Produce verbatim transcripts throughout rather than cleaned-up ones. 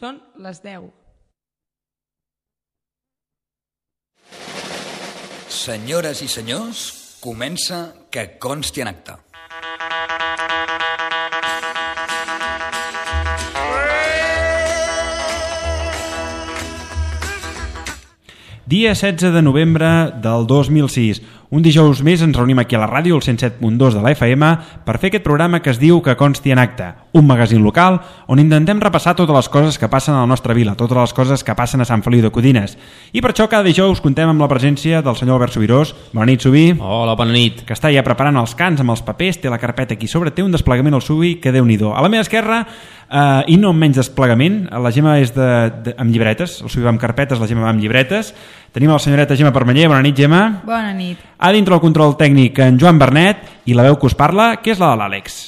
Són les deu. Senyores i senyors, comença Que consti en acta. Dia setze de novembre del dos mil sis. Un dijous més ens reunim aquí a la ràdio, el cent set punt dos de la F M, per fer aquest programa que es diu Que consti en acta, un magazín local on intentem repassar totes les coses que passen a la nostra vila, totes les coses que passen a Sant Feliu de Codines. I per això cada dijous contem amb la presència del senyor Albert Subirós. Bona nit, Subí. Hola, bona nit. Que està ja preparant els cants amb els papers, té la carpeta aquí sobre, té un desplegament al Subí que Déu-n'hi-do. A la meva esquerra, eh, i no amb menys desplegament, la Gemma és de, de, amb llibretes, el Subí va amb carpetes, la Gemma va amb llibretes. Tenim la senyoreta Gemma Permanyer. Bona nit, Gemma. Bona nit. A dintre el control tècnic en Joan Bernet i la veu que us parla, que és la de l'Àlex.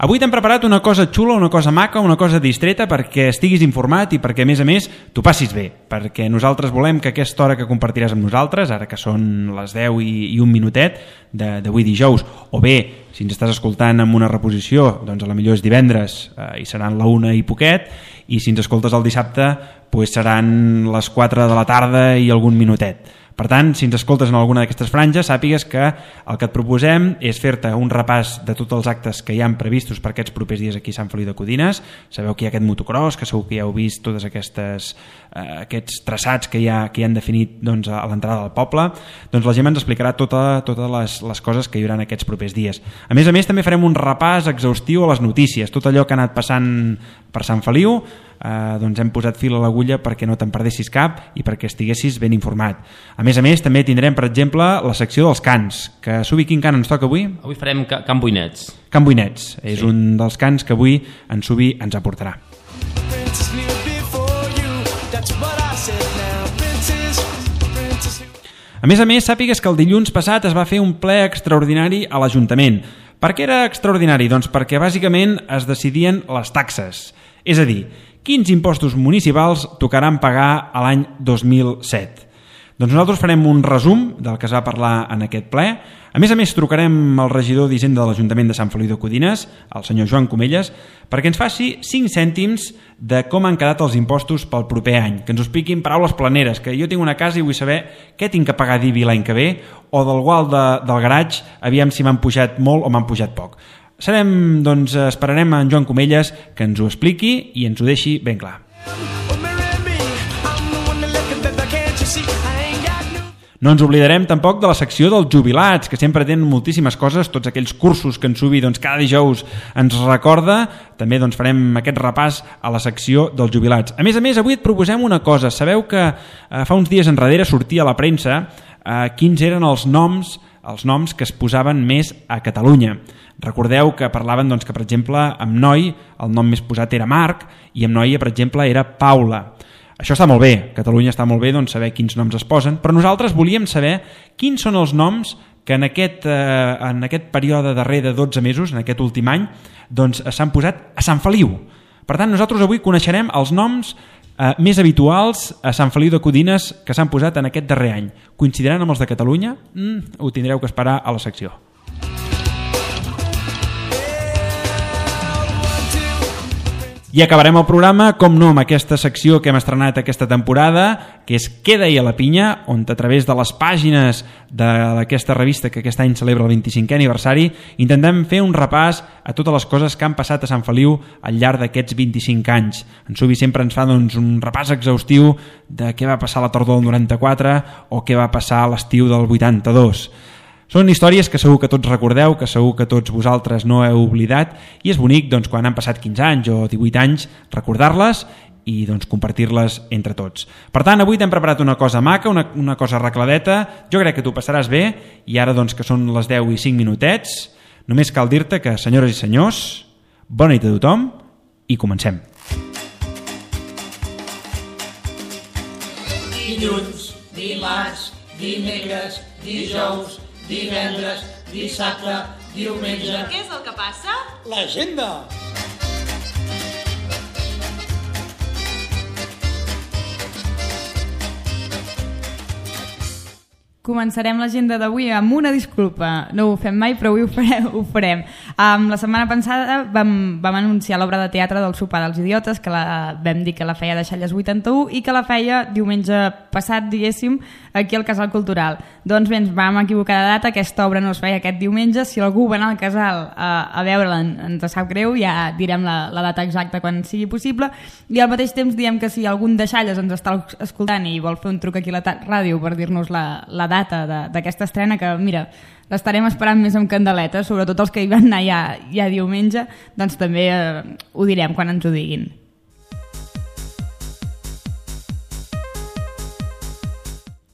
Avui t'hem preparat una cosa xula, una cosa maca, una cosa distreta perquè estiguis informat i perquè, a més a més, t'ho passis bé. Perquè nosaltres volem que aquesta hora que compartiràs amb nosaltres, ara que són les deu i, i un minutet d'avui dijous, o bé, si ens estàs escoltant amb una reposició, doncs a la millor és divendres eh, i seran la una i poquet, i si ens escoltes el dissabte, doncs seran les quatre de la tarda i algun minutet. Per tant, si ens escoltes en alguna d'aquestes franges, sàpigues que el que et proposem és fer-te un repàs de tots els actes que hi han previstos per aquests propers dies aquí a Sant Feliu de Codines. Sabeu que hi ha aquest motocross, que segur que ja heu vist tots aquestes, eh, aquests traçats que hi ha, que hi han definit doncs, a l'entrada del poble. Doncs la Gemma ens explicarà tota, totes les, les coses que hi haurà aquests propers dies. A més a més, també farem un repàs exhaustiu a les notícies, tot allò que ha anat passant per Sant Feliu. Eh, doncs hem posat fil a l'agulla perquè no te'n perdessis cap i perquè estiguessis ben informat. A més a més, també tindrem, per exemple, la secció dels cants, que Subi, quin cant ens toca avui? Avui farem ca Can Boinets. Can Boinets, és sí. un dels cants que avui en Subi ens aportarà. A més a més, sàpigues que el dilluns passat es va fer un ple extraordinari a l'Ajuntament. Per què era extraordinari? Doncs perquè bàsicament es decidien les taxes. És a dir, quins impostos municipals tocaran pagar a l'any dos mil set. Doncs nosaltres farem un resum del que es va parlar en aquest ple. A més a més, trucarem al regidor d'Hisenda de l'Ajuntament de Sant Feliu de Codines, el senyor Joan Comelles, perquè ens faci cinc cèntims de com han quedat els impostos pel proper any, que ens ho expliquin paraules planeres, que jo tinc una casa i vull saber què tinc que pagar d'I B I l'any que ve, o del gual de, del garatge, aviam si m'han pujat molt o m'han pujat poc. Serem, doncs, esperarem a en Joan Comelles que ens ho expliqui i ens ho deixi ben clar. No ens oblidarem tampoc de la secció dels jubilats, que sempre tenen moltíssimes coses, tots aquells cursos que en Subi doncs, cada dijous ens recorda. També doncs, farem aquest repàs a la secció dels jubilats. A més a més, avui et proposem una cosa. Sabeu que eh, fa uns dies enrere sortia a la premsa eh, quins eren els noms, els noms que es posaven més a Catalunya. Recordeu que parlaven doncs, que, per exemple, amb noi el nom més posat era Marc i amb noia, per exemple, era Paula. Això està molt bé, Catalunya està molt bé doncs, saber quins noms es posen, però nosaltres volíem saber quins són els noms que en aquest, eh, en aquest període darrer de dotze mesos, en aquest últim any, doncs, s'han posat a Sant Feliu. Per tant, nosaltres avui coneixerem els noms eh, més habituals a Sant Feliu de Codines que s'han posat en aquest darrer any. Coincidiran amb els de Catalunya? Mm, ho tindreu que esperar a la secció. I acabarem el programa, com no, amb aquesta secció que hem estrenat aquesta temporada, que és Què deia la pinya, on a través de les pàgines d'aquesta revista que aquest any celebra el vint-i-cinquè aniversari, intentem fer un repàs a totes les coses que han passat a Sant Feliu al llarg d'aquests vint-i-cinc anys. En Subi sempre ens fa doncs, un repàs exhaustiu de què va passar a la tardor del noranta-quatre o què va passar a l'estiu del vuitanta-dos. Són històries que segur que tots recordeu, que segur que tots vosaltres no heu oblidat, i és bonic doncs, quan han passat quinze anys o divuit anys recordar-les i doncs, compartir-les entre tots. Per tant, avui t'hem preparat una cosa maca, una, una cosa arregladeta, jo crec que t'ho passaràs bé, i ara doncs, que són les deu i cinc minutets, només cal dir-te que, senyores i senyors, bona nit a tothom i comencem. Dilluns, dimarts, dimecres, dijous, divendres, dissabte, diumenge... Què és el que passa? L'agenda! Començarem l'agenda d'avui amb una disculpa. No ho fem mai, però avui ho farem. Ho farem. Um, la setmana passada vam, vam anunciar l'obra de teatre del Sopar dels Idiotes, que la, vam dir que la feia de Xalles vuitanta-u i que la feia diumenge passat, diguéssim, aquí al Casal Cultural. Doncs bé, ens vam equivocar de data, aquesta obra no es feia aquest diumenge. Si algú va anar al Casal a, a veure-la, ens sap greu, ja direm la, la data exacta quan sigui possible. I al mateix temps diem que si algun de Xalles ens està escoltant i vol fer un truc aquí a la ràdio per dir-nos la, la data d'aquesta estrena, que mira, l'estarem esperant més amb candeleta, sobretot els que hi van anar ja, ja diumenge, doncs també eh, ho direm quan ens ho diguin.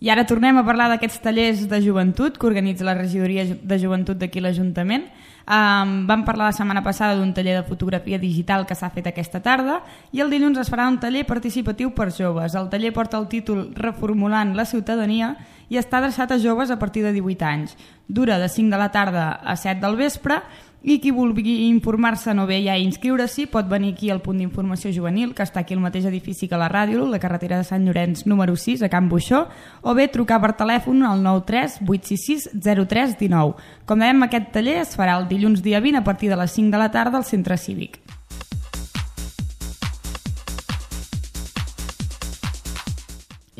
I ara tornem a parlar d'aquests tallers de joventut que organitza la regidoria de joventut d'aquí l'Ajuntament. Um, vam parlar la setmana passada d'un taller de fotografia digital que s'ha fet aquesta tarda i el dilluns es farà un taller participatiu per joves. El taller porta el títol Reformulant la ciutadania i està adreçat a joves a partir de divuit anys. Dura de cinc de la tarda a set del vespre i qui vulgui informar-se no ve ja a inscriure-s'hi pot venir aquí al punt d'informació juvenil, que està aquí al mateix edifici que la ràdio, la carretera de Sant Llorenç número sis a Can Buixó, o bé trucar per telèfon al nou tres vuit sis sis zero tres un nou. Com dèiem, aquest taller es farà el dilluns dia vint a partir de les cinc de la tarda al Centre Cívic.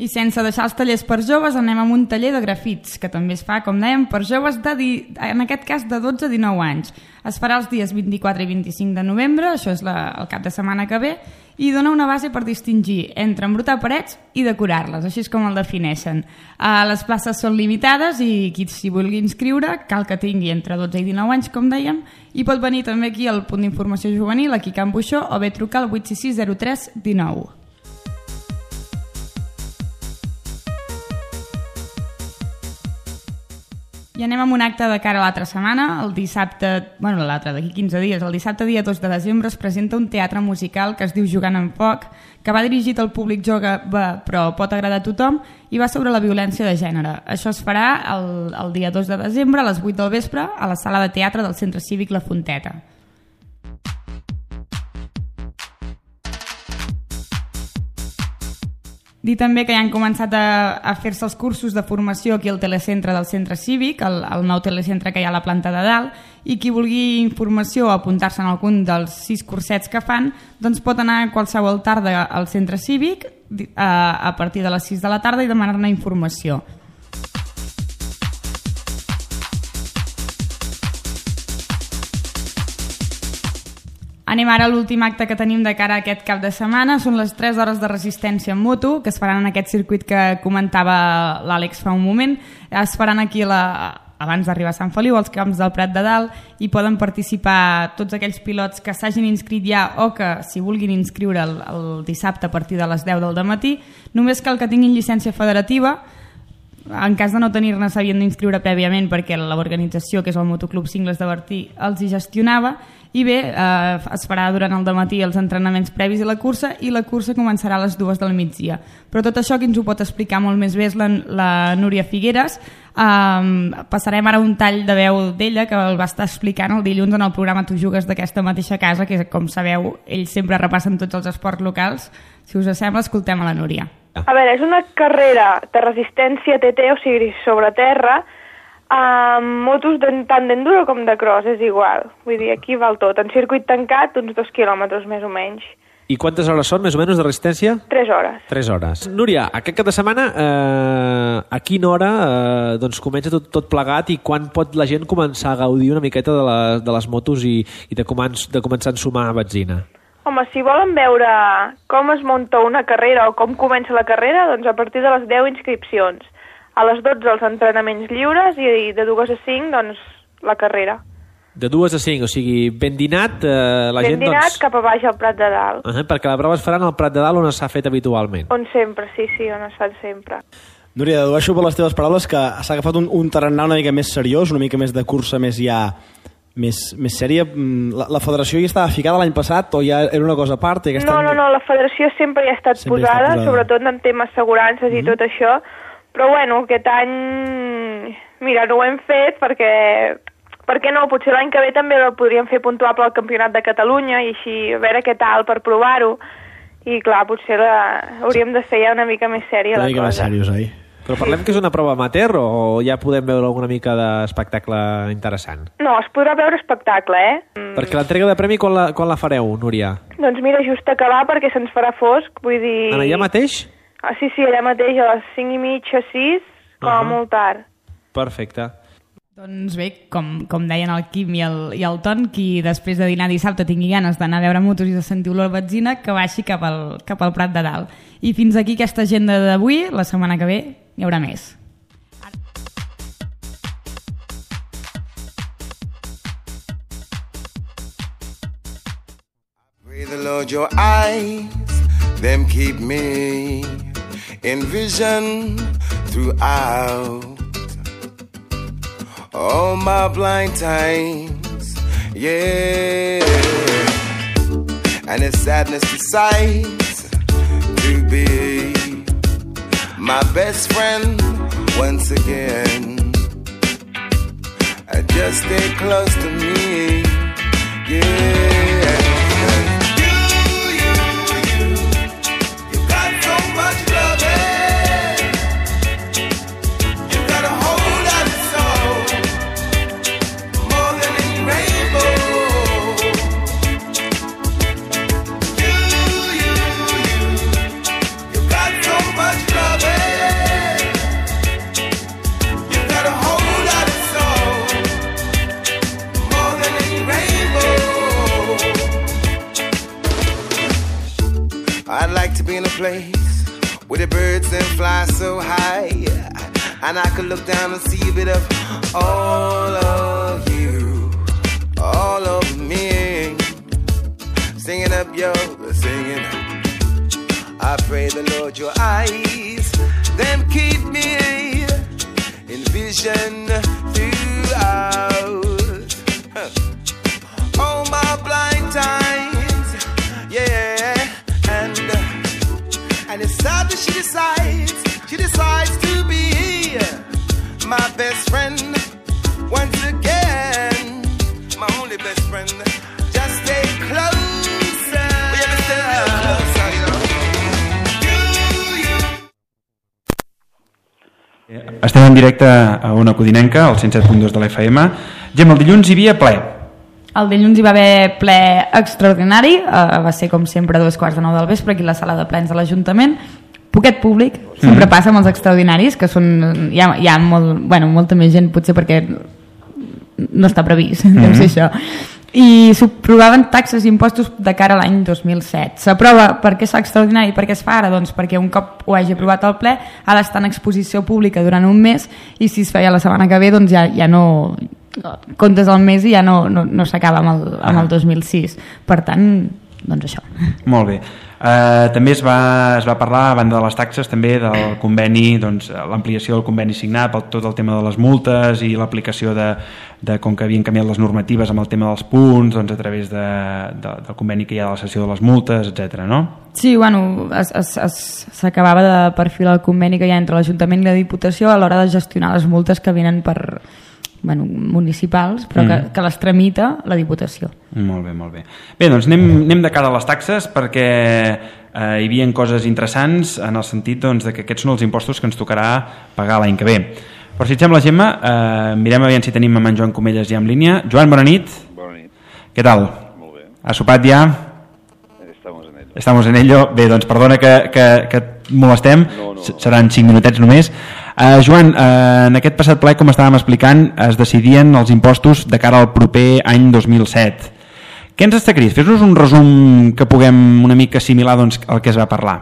I sense deixar els tallers per joves anem amb un taller de grafits, que també es fa, com dèiem, per joves, de di... en aquest cas de dotze a dinou anys. Es farà els dies vint-i-quatre i vint-i-cinc de novembre, això és la... el cap de setmana que ve, i dona una base per distingir entre embrutar parets i decorar-les, així és com el defineixen. Uh, les places són limitades i qui s'hi vulgui inscriure cal que tingui entre dotze i dinou anys, com dèiem, i pot venir també aquí al punt d'informació juvenil, aquí a Can Buixó, o bé trucar al vuit sis sis zero tres un nou. I anem amb un acte de cara a l'altra setmana. El dissabte, bueno, l'altre d'aquí quinze dies, el dissabte dia dos de desembre es presenta un teatre musical que es diu Jugant amb foc, que va dirigit al públic jove però pot agradar a tothom i va sobre la violència de gènere. Això es farà el, el dia dos de desembre a les vuit del vespre a la sala de teatre del Centre Cívic La Fonteta. Dir també que ja han començat a, a fer-se els cursos de formació aquí al telecentre del Centre Cívic, el, el nou telecentre que hi ha a la planta de dalt, i qui vulgui informació o apuntar-se en algun dels sis cursets que fan, doncs pot anar a qualsevol tarda al Centre Cívic a, a partir de les sis de la tarda i demanar-ne informació. Anem ara a l'últim acte que tenim de cara a aquest cap de setmana. Són les tres hores de resistència en moto, que es faran en aquest circuit que comentava l'Àlex fa un moment. Es faran aquí la, abans d'arribar a Sant Feliu, als camps del Prat de Dalt, i poden participar tots aquells pilots que s'hagin inscrit ja o que s'hi vulguin inscriure el, el dissabte a partir de les deu del dematí. Només cal que tinguin llicència federativa. En cas de no tenir-ne s'havien d'inscriure prèviament perquè l'organització, que és el Motoclub Cingles de Bertí, els hi gestionava. I bé, eh, es farà durant el dematí els entrenaments previs a la cursa i la cursa començarà a les dues del migdia. Però tot això qui ens ho pot explicar molt més bé és la, la Núria Figueres. Eh, passarem ara un tall de veu d'ella que el va estar explicant el dilluns en el programa Tu jugues d'aquesta mateixa casa, que com sabeu ells sempre repassen tots els esports locals. Si us sembla, escoltem a la Núria. A veure, és una carrera de resistència T T, o sigui, sobre terra, amb motos de, tant d'enduro com de cross, és igual. Vull dir, aquí val tot. En circuit tancat, uns dos quilòmetres més o menys. I quantes hores són, més o menys, de resistència? Tres hores. Tres hores. Núria, aquest cap de setmana, eh, a quina hora eh, doncs comença tot, tot plegat i quan pot la gent començar a gaudir una miqueta de, la, de les motos i, i de, començ, de començar a ensumar benzina? Home, si volen veure com es munta una carrera o com comença la carrera, doncs a partir de les deu inscripcions. A les dotze els entrenaments lliures i de dues a cinc, doncs, la carrera. De dues a cinc, o sigui, ben dinat, eh, la ben gent, dinat, doncs... cap a baix al Prat de Dalt. Uh -huh, perquè la prova es farà al Prat de Dalt on s'ha fet habitualment. On sempre, sí, sí, on es fan sempre. Núria, dedueixo per les teves paraules que s'ha agafat un, un tarannà una mica més seriós, una mica més de cursa, més ja... Més, més sèria. La, la federació hi estava ficada l'any passat o ja era una cosa a part? I no, any... no, no, la federació sempre hi ha estat posada, ha estat posada, sobretot en temes assegurances mm-hmm. i tot això, però bueno, aquest any, mira, no ho hem fet perquè, perquè no, potser l'any que ve també el podríem fer puntuable al Campionat de Catalunya i així a veure què tal per provar-ho, i clar, potser la, hauríem de fer ja una mica més sèria una la mica cosa. Més seriós, oi? Però parlem que és una prova amateur o ja podem veure alguna mica d'espectacle interessant? No, es podrà veure espectacle, eh? Mm. Perquè l'entrega de premi quan la, quan la fareu, Núria? Doncs mira, just acabar perquè se'ns farà fosc, vull dir... En allà mateix? Ah, sí, sí, allà mateix, a les cinc i mitja, sis, com a uh -huh. molt tard. Perfecte. Doncs bé, com, com deien el Quim i el, i el Ton, qui després de dinar dissabte tingui ganes d'anar a veure motos i de sentir olor a benzina, que baixi cap al, cap al Prat de Dalt. I fins aquí aquesta agenda d'avui. La setmana que ve hi haurà més. Pray the Lord your eyes, them keep me in vision throughout all my blind times, yeah. And it's sadness to sight to be my best friend once again. And just stay close to me, yeah. You, you, you, you got so much loving. You got a whole lot of soul, more than any rainbow. You, you, you, you got so much loving. You got a whole lot of soul, more than any rainbow. I'd like to be in a place where the birds then fly so high, and I could look down and see a bit of all of you, all of me, singing up, yo, singing. I pray the Lord your eyes, them keep me in vision throughout all my blind times, yeah. And and it's sad that she decides, she decides to be my best friend once again, my only best friend. Just stay closer, baby, stay closer, you know. You, you. Estem en directe a Ona Codinenca, al cent set punt dos de l'F M. Gemma, el dilluns hi havia ple. El dilluns hi va haver ple extraordinari, uh, va ser com sempre a dos quarts de nou del vespre aquí a la sala de plens de l'Ajuntament. Poquet públic, sempre mm. passa amb els extraordinaris, que són, hi ha, hi ha molt, bueno, molta més gent, potser perquè no està previst, mm. deu ser això. I s'aprovaven taxes i impostos de cara a l'any dos mil set. S'aprova per què és extraordinari i per què es fa ara? Doncs perquè un cop ho hagi aprovat el ple ha d'estar en exposició pública durant un mes, i si es feia la setmana que ve doncs ja, ja no... comptes el mes i ja no, no, no s'acaba amb, el, amb el dos mil sis. Per tant, doncs això. Molt bé. Uh, també es va, es va parlar, a banda de les taxes, també del conveni, doncs, l'ampliació del conveni signat per tot el tema de les multes i l'aplicació de, de com que havien canviat les normatives amb el tema dels punts, doncs, a través de, de, del conveni que hi ha de la cessió de les multes, etcètera, no? Sí, bueno, s'acabava de perfilar el conveni que hi ha entre l'Ajuntament i la Diputació a l'hora de gestionar les multes que venen per... bueno, municipals, però que, mm. que les tramita la Diputació. Molt bé, molt bé. Bé, doncs anem, anem de cara a les taxes, perquè eh, hi havia coses interessants en el sentit doncs, de que aquests són els impostos que ens tocarà pagar l'any que ve. Però si et sembla, Gemma, eh, mirem aviam si tenim amb en Joan Comelles ja en línia. Joan, bona nit. Bona nit. Què tal? Molt bé. Has sopat ja? Estamos en ello. Estamos en ello. Bé, doncs perdona que, que, que et molestem. No, no, no. Seran cinc minutets només. Uh, Joan, uh, en aquest passat ple, com estàvem explicant, es decidien els impostos de cara al proper any dos mil set. Què ens està crit? Fes-nos un resum que puguem una mica assimilar doncs, al que es va parlar.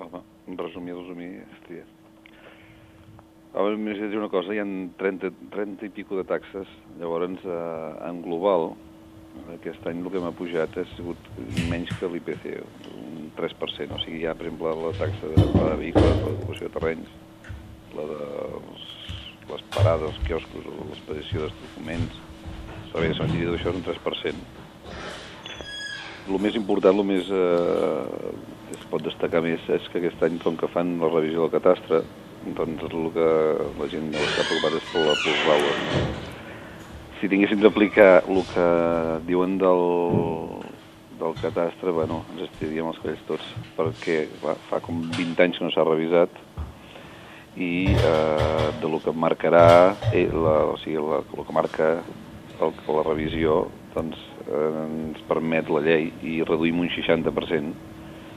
Home, resumir, resumir, hòstia. Ara m'he de dir una cosa, hi ha trenta, trenta i pico de taxes, llavors uh, en global, aquest any el que m'ha pujat ha sigut menys que l'I P C, un tres per cent, o sigui, hi ha, per exemple, la taxa de, de vehicles, l'ocupació de terrenys, la de les parades, els quioscos, l'expedició dels documents, serveis de cementiri, tot això és un tres per cent. El més important, el més eh, es pot destacar més, és que aquest any, com que fan la revisió del catastre, doncs el que la gent no està preocupada és per la plusvàlua. Si tinguéssim d'aplicar el que diuen del, del catastre, bueno, ens estiríem els calls tots, perquè va, fa com vint anys que no s'ha revisat, i eh, de lo que marcarà eh, la, o sigui, la, el que marca el, la revisió doncs, eh, ens permet la llei i reduïm un seixanta per cent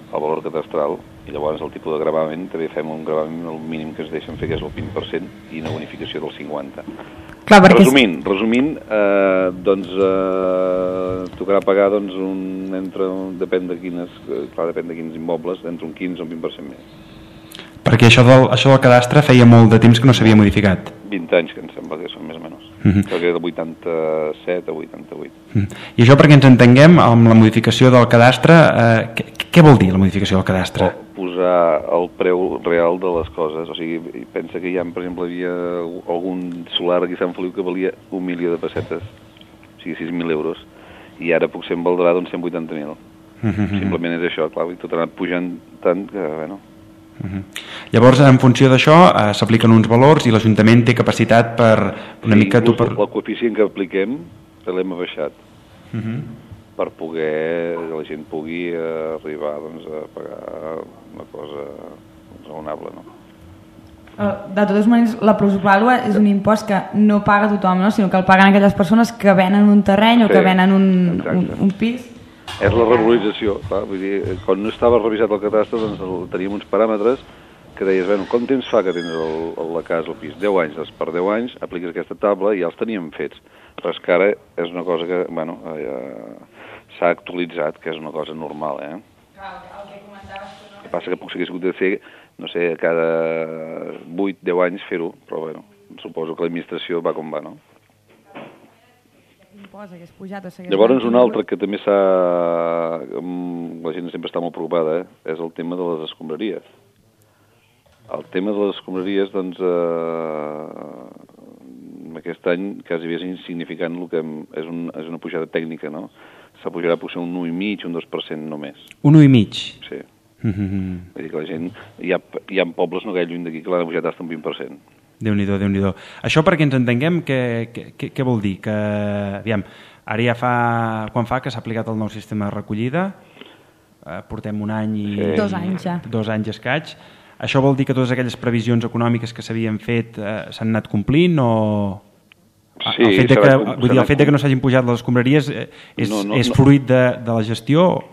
el valor catastral i llavors el tipus de gravamen també fem un gravamen el mínim que ens deixen fer que és el vint per cent i una bonificació del cinquanta per cent. Clar, resumint, resumint eh, doncs eh, tocarà pagar doncs, un, entre, depèn de quines, clar, depèn de quins immobles, entre un quinze o un vint per cent més. Perquè això del, això del cadastre feia molt de temps que no s'havia modificat. vint anys, que em sembla que són més o menys. Uh -huh. Crec que de vuitanta-set a vuitanta-vuit. Uh -huh. I això perquè ens entenguem, amb la modificació del cadastre, eh, què, què vol dir la modificació del cadastre? O posar el preu real de les coses. O sigui, pensa que hi ha, per exemple, hi havia algun solar aquí a Sant Feliu que valia un milió de pessetes, o sigui, sis mil euros, i ara potser en valdrà doncs, cent vuitanta mil. Uh -huh. Simplement és això, clar, i tot ha anat pujant tant que, bueno... Uh -huh. Llavors, en funció d'això, eh, s'apliquen uns valors i l'Ajuntament té capacitat per una sí, mica... Tu per... El coeficient que apliquem l'hem abaixat uh -huh. per poder que la gent pugui eh, arribar doncs, a pagar una cosa raonable, no? De totes maneres, la plusvàlua és un impost que no paga tothom, no? Sinó que el paguen aquelles persones que venen un terreny o sí, que venen un, un, un pis. És la regularització, clar, vull dir, quan no estava revisat el catastre doncs teníem uns paràmetres que deies, bueno, com temps fa que tens el, el, la casa, el pis? deu anys, doncs per deu anys apliques aquesta taula i ja els teníem fets. Però és que ara és una cosa que, bueno, eh, s'ha actualitzat, que és una cosa normal, eh? Clar, el que comentaves tu, no? El que passa que potser hagués hagut de fer, no sé, cada vuit deu anys fer-ho, però, bueno, suposo que l'administració va com va, no? Hagués pujat o Llavors, un altre que també s'ha... La gent sempre està molt preocupada, eh? És el tema de les escombraries. El tema de les escombraries, doncs, eh, aquest any quasi bé és insignificant el que és, un, és una pujada tècnica, no? S'ha pujarà potser un un i mig, un dos per cent només. Un un i mig? Sí. Mm-hmm. Vull dir que la gent... Hi ha, hi ha pobles no gaire lluny d'aquí que l'han pujat fins un vint per cent. Déu-n'hi-do, Déu-n'hi-do. Això perquè ens entenguem, què, què, què vol dir? Que, aviam, ara ja fa... Quan fa que s'ha aplicat el nou sistema de recollida? Eh, portem un any i... Sí. Dos anys ja. Dos anys escaig. Això vol dir que totes aquelles previsions econòmiques que s'havien fet eh, s'han anat complint o... Sí, el fet de que, com, vull dir, el fet de que no s'hagin pujat les escombraries eh, és, no, no, és fruit de, de la gestió?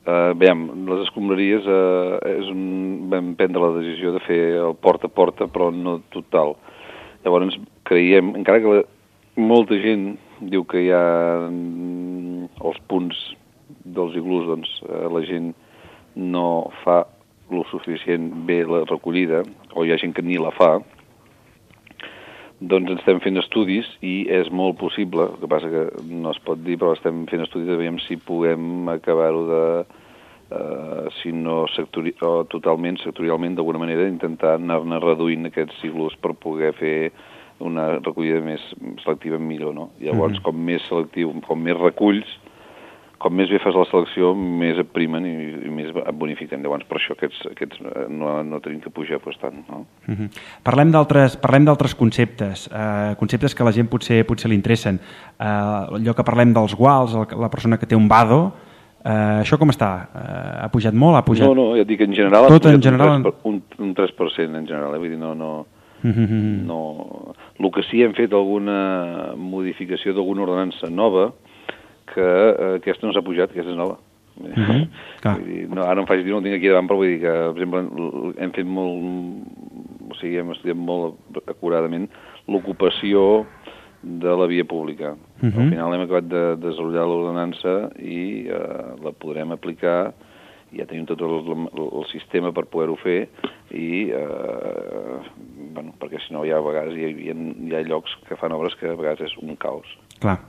Uh, veiem, les escombraries uh, és un, vam prendre la decisió de fer el porta a porta, però no total. Llavors creiem, encara que la, molta gent diu que hi ha mm, els punts dels iglús, doncs uh, la gent no fa lo suficient bé la recollida, o hi ha gent que ni la fa, doncs estem fent estudis i és molt possible, el que passa que no es pot dir, però estem fent estudis de veure si puguem acabar-ho de, eh, si no sectori o totalment, sectorialment, d'alguna manera, intentar anar-ne reduint aquests iglús per poder fer una recollida més selectiva millor, no? Llavors, mm-hmm. com més selectiu, com més reculls, com més bé fas la selecció, més et primen i, i més et bonifiquen. Llavors, per això aquests, aquests no, no tenim que pujar pues, tant. No? Uh-huh. Parlem d'altres parlem d'altres conceptes, uh, conceptes que a la gent potser potser li interessen. Uh, allò que parlem dels guals, el, la persona que té un vado, uh, això com està? Uh, ha pujat molt? Ha pujat... No, no, ja et dic, en general Tot ha en general... un, un tres per cent en general, eh? Vull dir, no... no... Uh-huh. no... El que sí hem fet alguna modificació d'alguna ordenança nova que eh, aquesta no s'ha pujat, aquesta és nova. Uh-huh. Vull dir, no, ara em faig dir, no el tinc aquí davant, però vull dir que, per exemple, hem fet molt, o sigui, hem estudiat molt acuradament l'ocupació de la via pública. Uh-huh. Al final hem acabat de desenvolupar l'ordenança i eh, la podrem aplicar, ja tenim tot el, el, el sistema per poder-ho fer i, eh, bueno, perquè si no hi ha a vegades hi ha, hi ha llocs que fan obres que a vegades és un caos. Clar.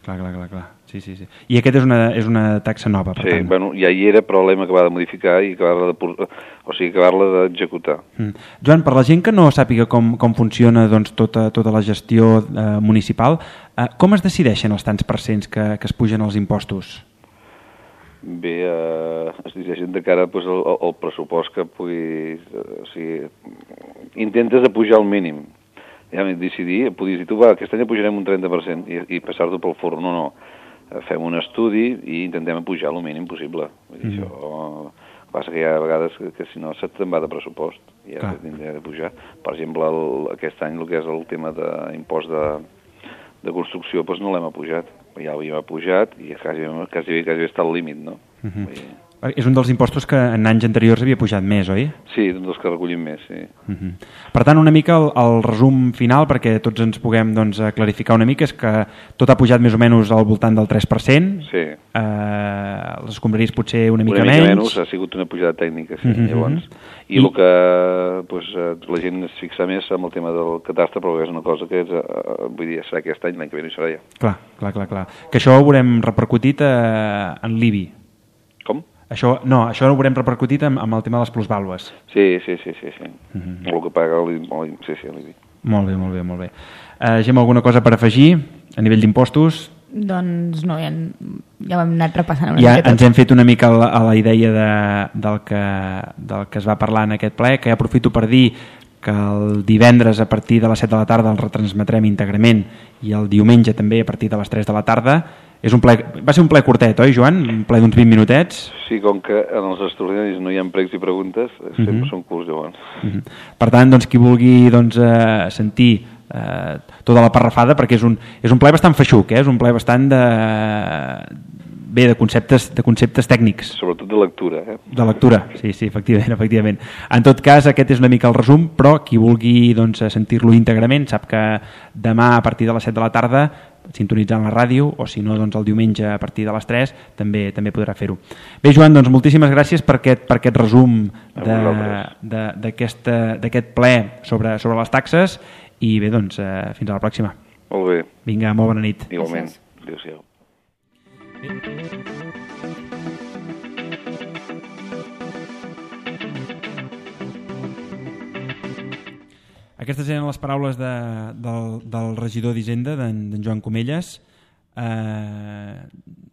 Clar, clar, clar, clar. Sí, sí, sí. I aquest és una, és una taxa nova, per sí, tant. Bueno, ja hi era, però l'hem acabat de modificar i acabar-la de, o sigui, acabar-la d'executar. Mm. Joan, per la gent que no sàpiga com, com funciona doncs, tota, tota la gestió eh, municipal, eh, com es decideixen els tants percents que, que es pugen els impostos? Bé, eh, es decideixen de cara pues, al, al pressupost que puguis... Eh, o sigui, intentes de pujar al mínim. Ja m'he decidir, podies dir, tu va, aquest any pujarem un trenta per cent i, i passar-t'ho pel forn. No, no. Fem un estudi i intentem pujar el mínim possible. Vull dir, mm. això, passa que hi ha vegades que, que si no se't te'n va de pressupost i has de, de pujar. Per exemple, el, aquest any el que és el tema d'impost de, de construcció doncs no l'hem apujat. Ja l'havíem apujat i quasi, quasi, quasi està al límit, no? Uh-huh. I... És un dels impostos que en anys anteriors havia pujat més, oi? Sí, un dels que recollim més, sí. Uh-huh. Per tant, una mica el, el resum final, perquè tots ens puguem doncs, clarificar una mica, és que tot ha pujat més o menys al voltant del tres per cent. Sí. Eh, les escombraries potser una mica, una mica menys. menys. Ha sigut una pujada tècnica, sí, uh-huh. llavors. I, I el que pues, la gent es fixa més amb el tema del catastre, però és una cosa que és, uh, vull dir, serà aquest any, l'any que ve no hi serà ja. Clar, clar, clar, clar. Que això ho haurem repercutit eh, en l'I B I. Com? Això, no, això ho haurem repercutit amb, amb el tema de les plusvàlues. Sí, sí, sí, sí, sí. Uh-huh. El que paga l'I B I, sí, sí, l'I B I. Molt bé, molt bé, molt bé. Uh, Gemma, alguna cosa per afegir a nivell d'impostos? Doncs no, ja, ja ho hem anat repassant una ja mica tot. Ens hem fet una mica a la, a la idea de, del, que, del que es va parlar en aquest ple, que ja aprofito per dir que el divendres a partir de les set de la tarda el retransmetrem íntegrament i el diumenge també a partir de les tres de la tarda. És un ple, va ser un ple curtet, oi, Joan? Un ple d'uns vint minutets. Sí, com que en els extraordinaris no hi ha pregs i preguntes, sempre uh-huh. són curts, llavors. Uh-huh. Per tant, doncs, qui vulgui doncs, eh, sentir eh, tota la parrafada, perquè és un, és un ple bastant feixuc, eh? És un ple bastant de... bé, de conceptes, de conceptes tècnics. Sobretot de lectura. Eh? De lectura, sí, sí, efectivament, efectivament. En tot cas, aquest és una mica el resum, però qui vulgui doncs, sentir-lo íntegrament sap que demà a partir de les set de la tarda sintonitzant la ràdio, o si no, doncs el diumenge a partir de les tres, també també podrà fer-ho. Bé, Joan, doncs moltíssimes gràcies per aquest, per aquest resum d'aquest ple sobre, sobre les taxes i bé, doncs, eh, fins a la pròxima. Molt bé. Vinga, molt bona nit. Igualment. Adéu-siau. Aquestes eren les paraules de, del, del regidor d'Hisenda, d'en Joan Comelles. Eh,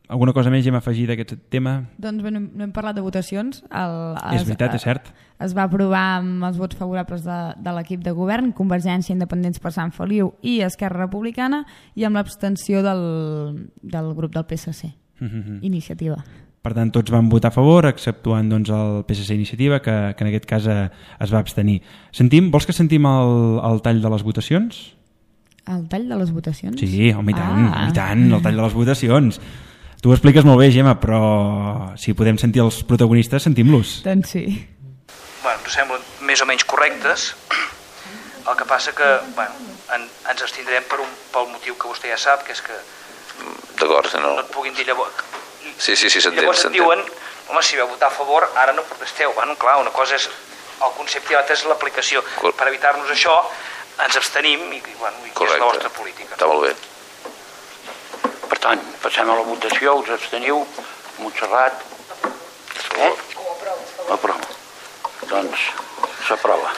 alguna cosa més hem afegit d'aquest tema? Doncs bé, no, no hem parlat de votacions. El, es, és veritat, és cert. Es va aprovar amb els vots favorables de, de l'equip de govern, Convergència, Independents per Sant Feliu i Esquerra Republicana, i amb l'abstenció del, del grup del P S C, mm-hmm. Iniciativa. Per tant, tots van votar a favor, exceptuant doncs, el P S C Iniciativa, que, que en aquest cas eh, es va abstenir. Sentim, vols que sentim el, el tall de les votacions? El tall de les votacions? Sí, home, i tant, ah. i tant, el tall de les votacions. Tu ho expliques molt bé, Gemma, però si podem sentir els protagonistes, sentim-los. Doncs sí. Bueno, ens semblen més o menys correctes. El que passa que bueno, en, ens abstindrem per un, pel motiu que vostè ja sap, que és que D'acord, no. no et puguin dir llavors... Sí, sí, sí, s'entén. Llavors et diuen, home, si vau votar a favor, ara no protesteu. Bueno, clar, una cosa és el concepte i l'altra és l'aplicació. Per evitar-nos això, ens abstenim i, bueno, i és la vostra política. Està molt bé. Per tant, passem a la votació, us absteniu, Montserrat. Eh? Aprova. Doncs s'aprova.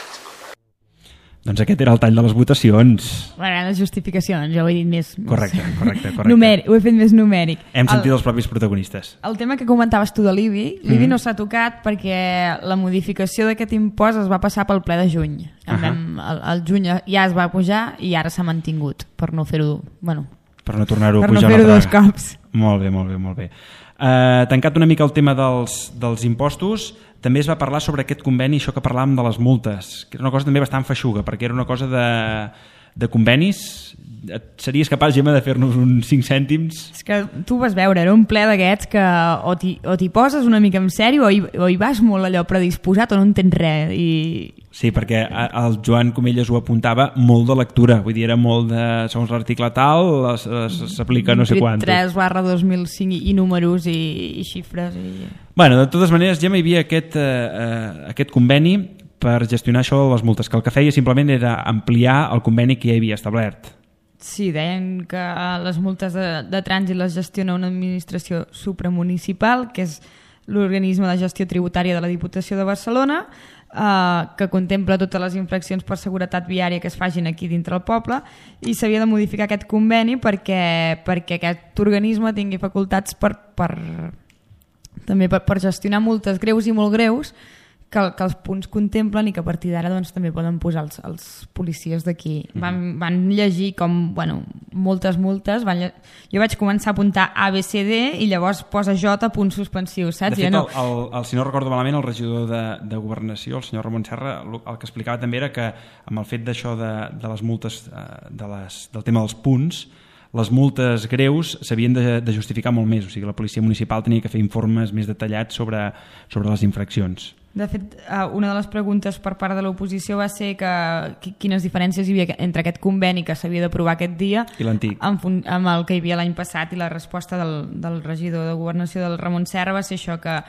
Doncs aquest era el tall de les votacions. Bueno, les justificacions, jo ho he dit més... Correcte, correcte, correcte. Numèric, ho he fet més numèric. Hem sentit el, els propis protagonistes. El tema que comentaves tu de l'I B I, l'I B I mm-hmm. no s'ha tocat perquè la modificació d'aquest impost es va passar pel ple de juny. Uh-huh. Vam, el, el juny ja es va pujar i ara s'ha mantingut, per no fer-ho... Bueno, per no tornar-ho a per pujar no fer-ho dos vegada. cops. Molt bé, molt bé, molt bé. Uh, tancat una mica el tema dels, dels impostos, també es va parlar sobre aquest conveni, això que parlàvem de les multes, que era una cosa també bastant feixuga, perquè era una cosa de, de convenis. Et series capaç, Gemma, de fer-nos uns cinc cèntims? És que tu vas veure, era un ple d'aquests que o t'hi poses una mica en sèrio o hi, o hi vas molt allò predisposat o no entens res. I... Sí, perquè el Joan Comelles ho apuntava molt de lectura, vull dir, era molt de, segons l'article tal, s'aplica no sé quantos. tres barra dos mil cinc i números i, i xifres. I... Bueno, de totes maneres, Gemma, hi havia aquest, eh, aquest conveni per gestionar això de les multes, que el que feia simplement era ampliar el conveni que ja havia establert. Sí, deien que les multes de, de trànsit les gestiona una administració supramunicipal, que és l'organisme de gestió tributària de la Diputació de Barcelona, eh, que contempla totes les infraccions per seguretat viària que es fagin aquí dintre el poble, i s'havia de modificar aquest conveni perquè, perquè aquest organisme tingui facultats per, per, també per, per gestionar multes greus i molt greus que, que els punts contemplen i que a partir d'ara doncs, també poden posar els, els policies d'aquí. Van, van llegir com, bueno, moltes multes. Van lle... Jo vaig començar a apuntar A, B, C, D i llavors posa J, punts suspensius, saps? De fet, no... el, el, el, si no recordo malament, el regidor de, de Governació, el senyor Ramon Serra, el, el que explicava també era que amb el fet d'això de, de les multes, de les, del tema dels punts, les multes greus s'havien de, de justificar molt més, o sigui, la policia municipal tenia que fer informes més detallats sobre, sobre les infraccions. De fet, una de les preguntes per part de l'oposició va ser que, quines diferències hi havia entre aquest conveni que s'havia d'aprovar aquest dia i l'antic, amb, amb el que hi havia l'any passat, i la resposta del, del regidor de Governació, del Ramon Serra, va ser això, que,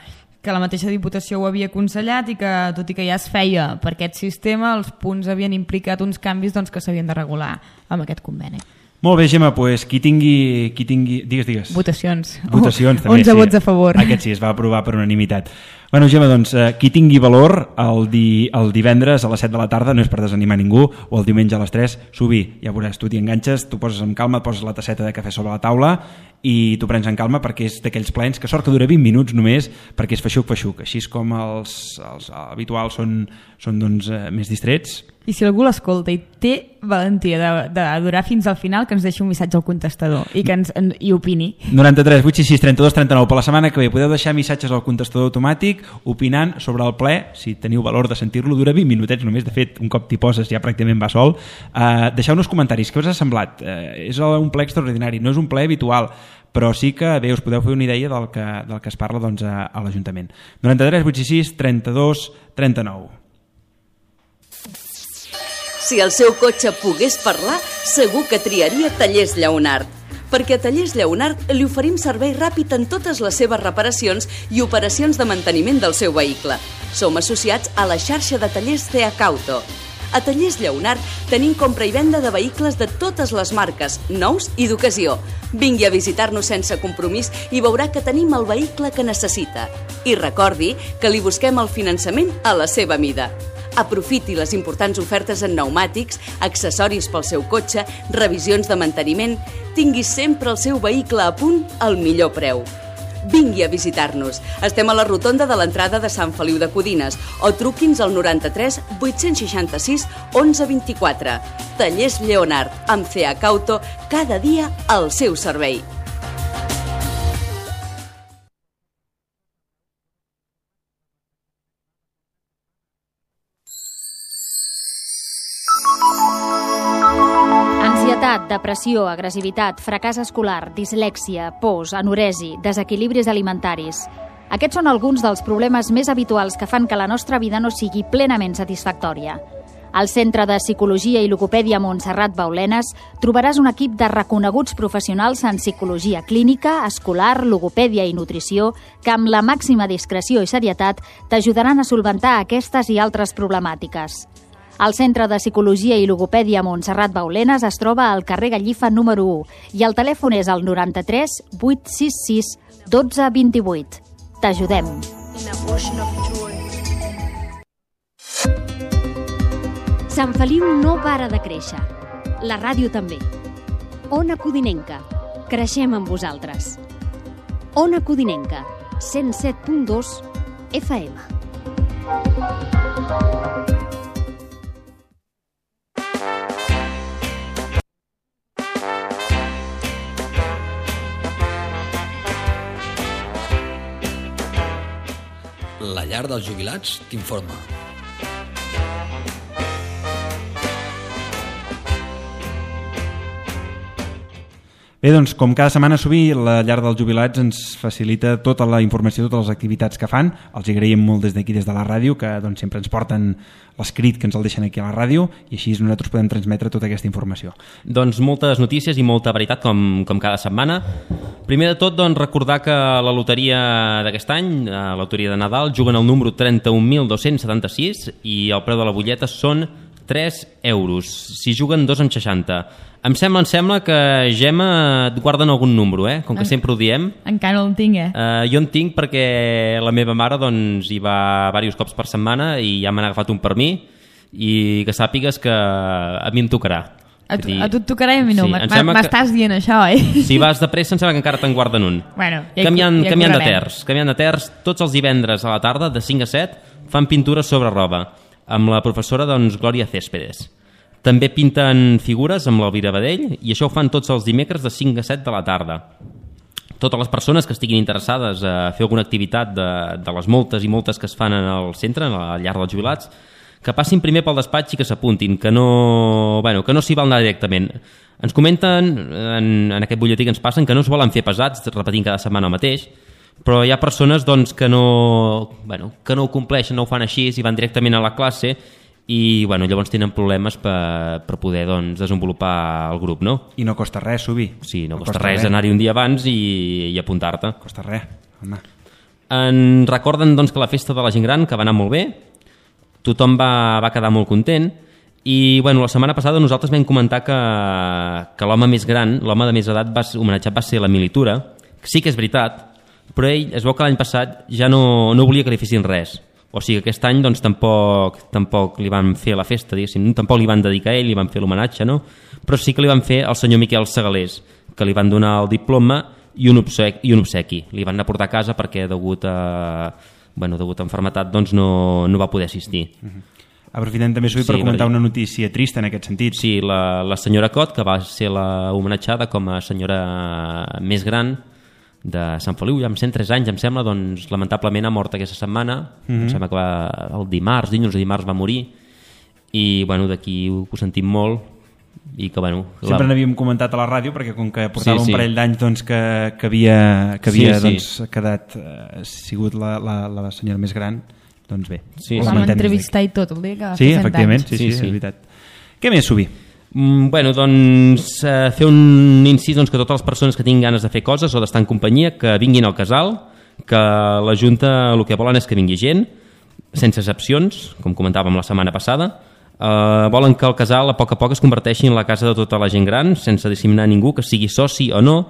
que la mateixa Diputació ho havia aconsellat i que, tot i que ja es feia per aquest sistema, els punts havien implicat uns canvis doncs, que s'havien de regular amb aquest conveni. Molt bé, Gemma, pues, qui tingui... Qui tingui... Digues, digues. Votacions. Votacions, també. onze sí. vots a favor. Aquest sí, es va aprovar per unanimitat. Bueno, Gemma, doncs, eh, qui tingui valor el, di, el divendres a les set de la tarda, no és per desanimar ningú, o el diumenge a les tres, subir. Ja veuràs, tu t'hi enganxes, tu poses amb calma, poses la tasseta de cafè sobre la taula i t'ho prens en calma perquè és d'aquells plens que sort que dura vint minuts només perquè és feixuc-feixuc. Així és com els, els habituals són, són doncs, eh, més distrets. I si algú l'escolta i té valentia de, de durar fins al final, que ens deixi un missatge al contestador i que ens en, i opini. noranta-tres vuit sis sis trenta-dos trenta-nou. Per la setmana que ve podeu deixar missatges al contestador automàtic opinant sobre el ple, si teniu valor de sentir-lo, dura vint minutets només, de fet un cop t'hi poses ja pràcticament va sol. Uh, deixeu-nos comentaris, què us ha semblat? Uh, és un ple extraordinari, no és un ple habitual, però sí que bé, us podeu fer una idea del que, del que es parla doncs, a, a l'Ajuntament. noranta-tres vuit sis sis trenta-dos trenta-nou. Si el seu cotxe pogués parlar, segur que triaria Tallers Lleonart. Perquè a Tallers Lleonart li oferim servei ràpid en totes les seves reparacions i operacions de manteniment del seu vehicle. Som associats a la xarxa de tallers C H Auto. A Tallers Lleonart tenim compra i venda de vehicles de totes les marques, nous i d'ocasió. Vingui a visitar-nos sense compromís i veurà que tenim el vehicle que necessita. I recordi que li busquem el finançament a la seva mida. Aprofiti les importants ofertes en pneumàtics, accessoris pel seu cotxe, revisions de manteniment. Tingui sempre el seu vehicle a punt al millor preu. Vingui a visitar-nos. Estem a la rotonda de l'entrada de Sant Feliu de Codines o truqui'ns al noranta-tres vuit seixanta-sis onze vint-i-quatre. Tallers Lleonart, amb C H Auto, cada dia al seu servei. Depressió, agressivitat, fracàs escolar, dislèxia, pors, anoresi, desequilibris alimentaris. Aquests són alguns dels problemes més habituals que fan que la nostra vida no sigui plenament satisfactòria. Al Centre de Psicologia i Logopèdia Montserrat Baulenes trobaràs un equip de reconeguts professionals en psicologia clínica, escolar, logopèdia i nutrició que amb la màxima discreció i serietat t'ajudaran a solventar aquestes i altres problemàtiques. El Centre de Psicologia i Logopèdia Montserrat Baulenes es troba al carrer Gallifa número u i el telèfon és el noranta-tres vuit sis sis dotze vint-i-vuit. T'ajudem. Sant Feliu no para de créixer. La ràdio també. Ona Codinenca. Creixem amb vosaltres. Ona Codinenca. cent set punt dos F M. La llar dels jubilats t'informa. Bé, doncs, com cada setmana sovint, la llar dels jubilats ens facilita tota la informació, totes les activitats que fan. Els agraïm molt des d'aquí, des de la ràdio, que doncs, sempre ens porten l'escrit que ens el deixen aquí a la ràdio i així nosaltres podem transmetre tota aquesta informació. Doncs moltes notícies i molta veritat, com, com cada setmana. Primer de tot, doncs, recordar que la loteria d'aquest any, la loteria de Nadal, juguen el número trenta-un mil dos-cents setanta-sis i el preu de la butlleta són tres euros. Si juguen dos amb seixanta. Em sembla, em sembla que, Gemma, et guarden algun número, eh? Com que en... sempre ho diem. Encara no el tinc, eh? Uh, jo en tinc perquè la meva mare doncs, hi va diversos cops per setmana i ja m'han agafat un per mi i que sàpigues que a mi em tocarà. A tu, a tu et tocarà i a mi no. Sí, m'estàs que... dient això, eh? Si vas de pressa, em sembla que encara te'n guarden un. Bueno, ja canviant, ja canviant de terç. Canviant de terç, tots els divendres a la tarda, de cinc a set, fan pintures sobre roba, amb la professora doncs, Glòria Céspedes. També pinten figures amb l'Elvira Badell, i això ho fan tots els dimecres de cinc a set de la tarda. Totes les persones que estiguin interessades a fer alguna activitat de, de les moltes i moltes que es fan al centre, a la llar dels jubilats, que passin primer pel despatx i que s'apuntin, que no, bueno, que no s'hi val anar directament. Ens comenten, en, en aquest butlletí que ens passen, que no es volen fer pesats, repetint cada setmana el mateix, però hi ha persones doncs, que, no, bueno, que no ho compleixen, no ho fan així, i van directament a la classe, i bueno, llavors tenen problemes per, per poder doncs, desenvolupar el grup, no? I no costa res subir. Sí, no, no costa, costa res, res anar-hi un dia abans i, i apuntar-te. Costa res, home. En recorden doncs, que la festa de la gent gran, que va anar molt bé, tothom va, va quedar molt content, i bueno, la setmana passada nosaltres vam comentar que, que l'home més gran, l'home de més edat va, homenatjat va ser la Militura, que sí que és veritat, però ell es veu que l'any passat ja no, no volia que li fessin res. O sigui, aquest any doncs, tampoc, tampoc li van fer la festa, diguéssim, tampoc li van dedicar a ell, li van fer l'homenatge, no? Però sí que li van fer al senyor Miquel Segalés, que li van donar el diploma i un obsequi. I un obsequi. Li van anar a portar a casa perquè degut a, bueno, degut a enfermetat doncs, no, no va poder assistir. Uh-huh. Aprofitem també sí, per comentar una notícia trista en aquest sentit. Sí, la, la senyora Cot, que va ser la homenatjada com a senyora més gran de Sant Feliu, ja amb cent tres anys, em sembla, doncs lamentablement ha mort aquesta setmana, mm-hmm. em sembla que va, el dimarts, dilluns o dimarts va morir, i bueno, d'aquí ho, ho sentim molt, i que bueno... Sempre la... n'havíem comentat a la ràdio, perquè com que portava sí, sí. un parell d'anys doncs, que, que havia, que havia sí, doncs, sí. quedat, eh, sigut la, la, la senyora més gran, doncs bé. Sí, vam entrevistar i tot el dia que va sí, fer cent efectivament, anys. Sí, sí, sí, sí, és veritat. Què més, Subi? Mm, bueno, doncs eh, fer un incís doncs, que totes les persones que tinguin ganes de fer coses o d'estar en companyia, que vinguin al casal, que la Junta el que volen és que vingui gent, sense excepcions, com comentàvem la setmana passada. Eh, volen que el casal a poc a poc es converteixi en la casa de tota la gent gran, sense discriminar ningú, que sigui soci o no,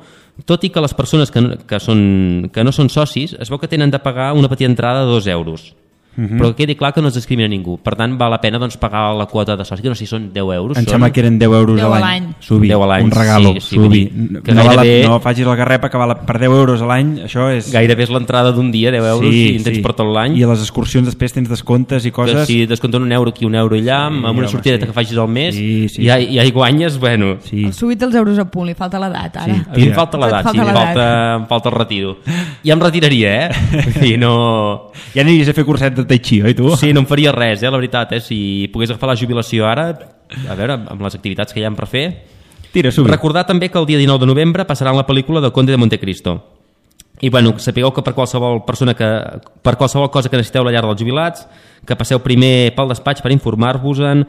tot i que les persones que, que, són, que no són socis es veu que tenen de pagar una petita entrada de dos euros. Uh-huh. Però que quedi clar que no es discrimina ningú. Per tant, val la pena doncs, pagar la quota de soci, que no sé si són deu euros. Em són... sembla que eren deu euros deu a l'any. Subi, deu a l'any. Un regalo, sí, sí, Subi. Que no, gairebé... la, no facis la garrepa, que val per deu euros a l'any, això és... Gairebé és l'entrada d'un dia, deu euros, sí, i en tens sí. per tot l'any. I a les excursions després tens descomptes i coses... Que si descompten un euro aquí, un euro allà, sí, amb una sortideta sí. que facis al mes, sí, sí. I, ha, i hi guanyes, bueno... Sí. El Subi té els euros a punt, li falta l'edat, ara. Sí, a mi em falta l'edat, sí, em falta, em falta el retiro. Ja em retiraria, eh? I no... Ja aniries a fer curset de Tai Chi, oi tu? Sí, no em faria res, eh, la veritat, eh? Si pogués agafar la jubilació ara, a veure, amb les activitats que hi ha per fer... Tira, Subi. Recordar també que el dia dinou de novembre passaran la pel·lícula del Conde de Montecristo. I bueno, sapigueu que per qualsevol persona que, per qualsevol cosa que necessiteu a la llar dels jubilats, que passeu primer pel despatx per informar-vos-en,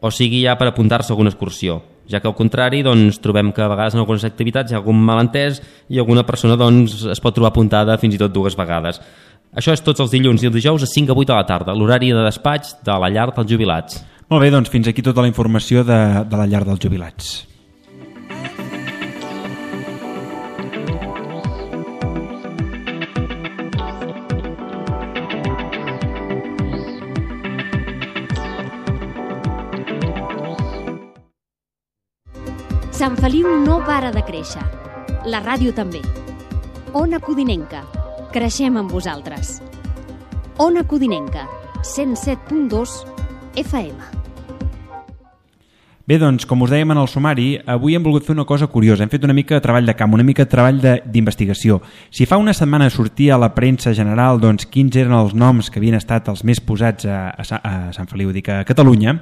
o sigui ja per apuntar-se a alguna excursió. Ja que al contrari, doncs, trobem que a vegades en algunes activitats hi ha algun malentès i alguna persona doncs, es pot trobar apuntada fins i tot dues vegades. Això és tots els dilluns i els dijous a cinc a vuit de la tarda, l'horari de despatx de la llar dels jubilats. Molt bé, doncs fins aquí tota la informació de, de la llar dels jubilats. Sant Feliu no para de créixer. La ràdio també. Ona Codinenca. Creixem amb vosaltres. Ona Codinenca, cent set punt dos F M. Bé, doncs, com us dèiem en el sumari, avui hem volgut fer una cosa curiosa. Hem fet una mica de treball de camp, una mica de treball d'investigació. Si fa una setmana sortia a la premsa general doncs, quins eren els noms que havien estat els més posats a, a, a Sant Feliu, dic a Catalunya,